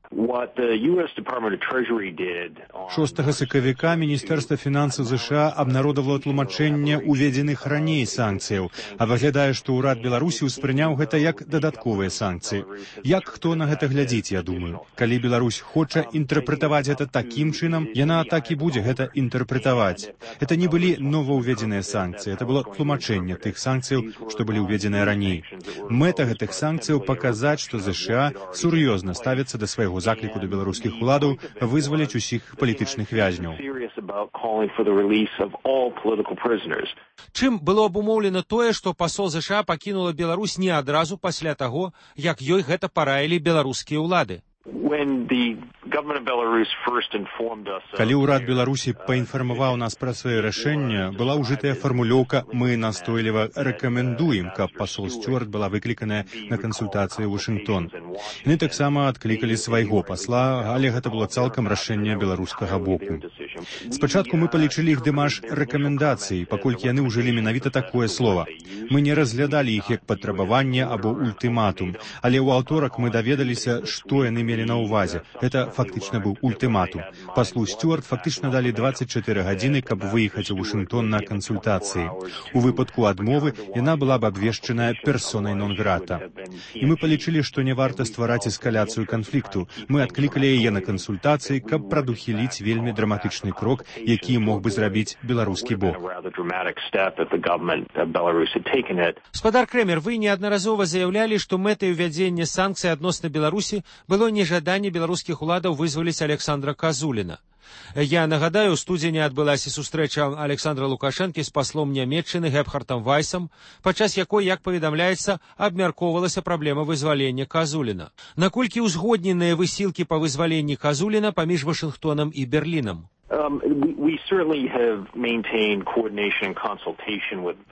6 сакавіка Міністэрства фінансаў ЗША абнародавала тлумачэнне уведзеных раней санкцыяў, а выглядае, што ўрад Беларусі ўспрыняў гэта як дадатковыя санкцыі. Як хто на гэта глядзіць, я думаю. Калі Беларусь хоча інтэрпрэтаваць гэта такім чынам, яна так і будзе гэта інтэрпрэтаваць. Это не былі новаўведзеныя санкцыі, это было тлумачэнне тых санкцыяў, што былі ўведзеныя раней. Мэта гэтых санкцыяў паказаць, што ЗША сур'ёзна ставіцца да свайго закліку да беларускіх уладаў вызваліць усіх палітычных вязняў. Чым было абумоўлена тое, што пасол ЗША пакінула Беларусь не адразу пасля таго, як ёй гэта параілі беларускія ўлады? Калі ўрад Беларусі паінфармаваў нас пра свае рашэнне, была ўжытая фармулёўка «Мы настойліва рэкамендуем», каб пасол Стюарт была выкліканая на кансультацыі ў Вашынгтон. Яны таксама адклікалі свайго пасла, але гэта было цалкам рашэнне беларускага боку. Спачатку мы палічылі іх дэмаш рэкамендацыі, паколькі яны ўжылі менавіта такое слова. Мы не разглядалі іх як патрабаванне або ультыматум, але ў аўторак мы даведаліся, што яны мелі на ўвазе. Гэта фактычна быў ультыматум. Паслу Стюарт фактычна далі 24 гадзіны, каб выехаць у Вашынгтон на кансультацыі. У выпадку адмовы яна была б абвешчаная персонай нон-грата. І мы палічылі, што не варта ствараць эскаляцыю канфлікту. Мы адклікалі яе на кансультацыі, каб прадухіліць вельмі драматычны крок, які мог бы зрабіць беларускі бок. Спадар Крэмер, вы неаднаразова заяўлялі, што мэтай увядзення санкцый адносна Беларусі было нежаданне беларускіх уладаў вызваліць Александра Казуліна. Я нагадаю, у студзені адбылася сустрэча Александра Лукашэнкі з паслом Нямецчыны Гебхартам Вайсам, падчас якой, як паведамляецца, абмяркоўвалася праблема вызвалення Казуліна. Наколькі ўзгодненыя высілкі па вызваленні Казуліна паміж Вашынгтонам і Берлінам?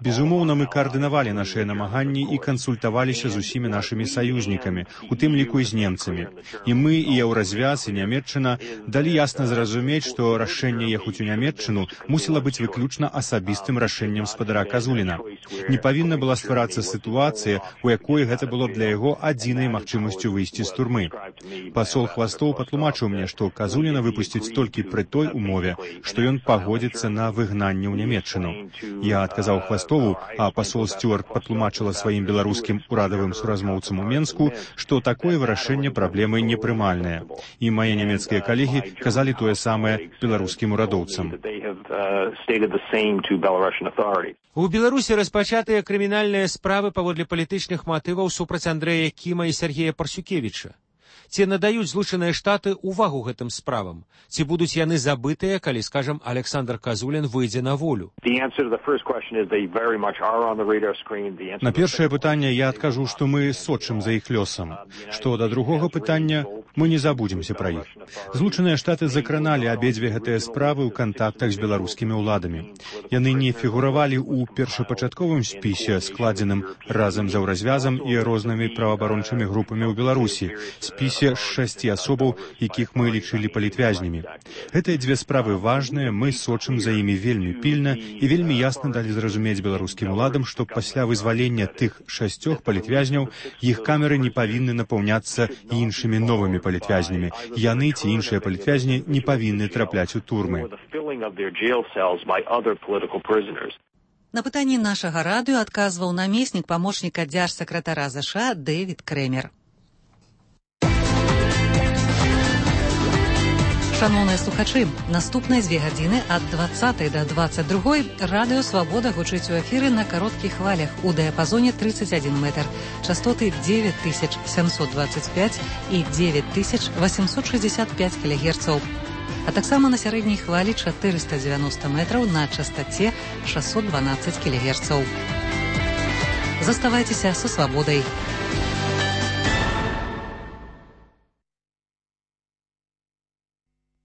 Безумоўна, мы каардынавалі нашыя намаганні і кансультаваліся з усімі нашымі саюзнікамі, у тым ліку і з немцамі. І мы, і Еўразвяз, і Нямецчына далі ясна зразумець, што рашэнне ехаць у Нямецчыну мусіла быць выключна асабістым рашэннем спадара Казуліна. Не павінна была стварацца сітуацыя, у якой гэта было для яго адзінай магчымасцю выйсці з турмы. Пасол Хвастоў патлумачыў мне, што Казуліна выпусціць толькі пры той умове, што ён пагодзіцца на выгнанне ў Нямецчыну. Я адказаў Хвастову, а пасол Стюарт патлумачыла сваім беларускім урадавым суразмоўцам у Менску, што такое вырашэнне праблемы непрымальнае. І мае нямецкія калегі казалі тое самае беларускім урадоўцам. У Беларусі распачатыя крымінальныя справы паводле палітычных матываў супраць Андрэя Кіма і Сергея Парсюкевіча. Ці надаюць Злучаныя Штаты ўвагу гэтым справам? Ці будуць яны забытыя, калі, скажам, Александр Казулін выйдзе на волю? На першае пытанне я адкажу, што мы сочым за іх лёсам. Што да другога пытання, мы не забудземся пра іх. Злучаныя Штаты закраналі абедзве гэтыя справы ў кантактах з беларускімі ўладамі. Яны не фігуравалі ў першапачатковым спісе, складзеным разам з еўразвязам і рознымі праваабарончымі групамі ў Беларусі, спісе з 6 асобаў, якіх мы лічылі палітвязнямі. Гэтыя дзве справы важныя, мы сочым за імі вельмі пільна і вельмі ясна далі зразумець беларускім уладам, што пасля вызвалення тых 6 палітвязняў іх камеры не павінны напаўняцца іншымі новымі палітвязнямі. Яны ці іншыя палітвязні не павінны трапляць у турмы. На пытанні нашага радыё адказваў намеснік памочніка дзяржсакратара ЗША Дэвід Крэмер. Шановныя слухачы, наступныя 2 гадзіны ад 20 до 22 радыё «Свабода» гучыць у эфіры на кароткіх хвалях у дыяпазоне 31 метр, частоты 9725 і 9865 кГц, а таксама на сярэдняй хвалі 490 метраў на частоце 612 кГц. Заставайцеся са «Свабодай».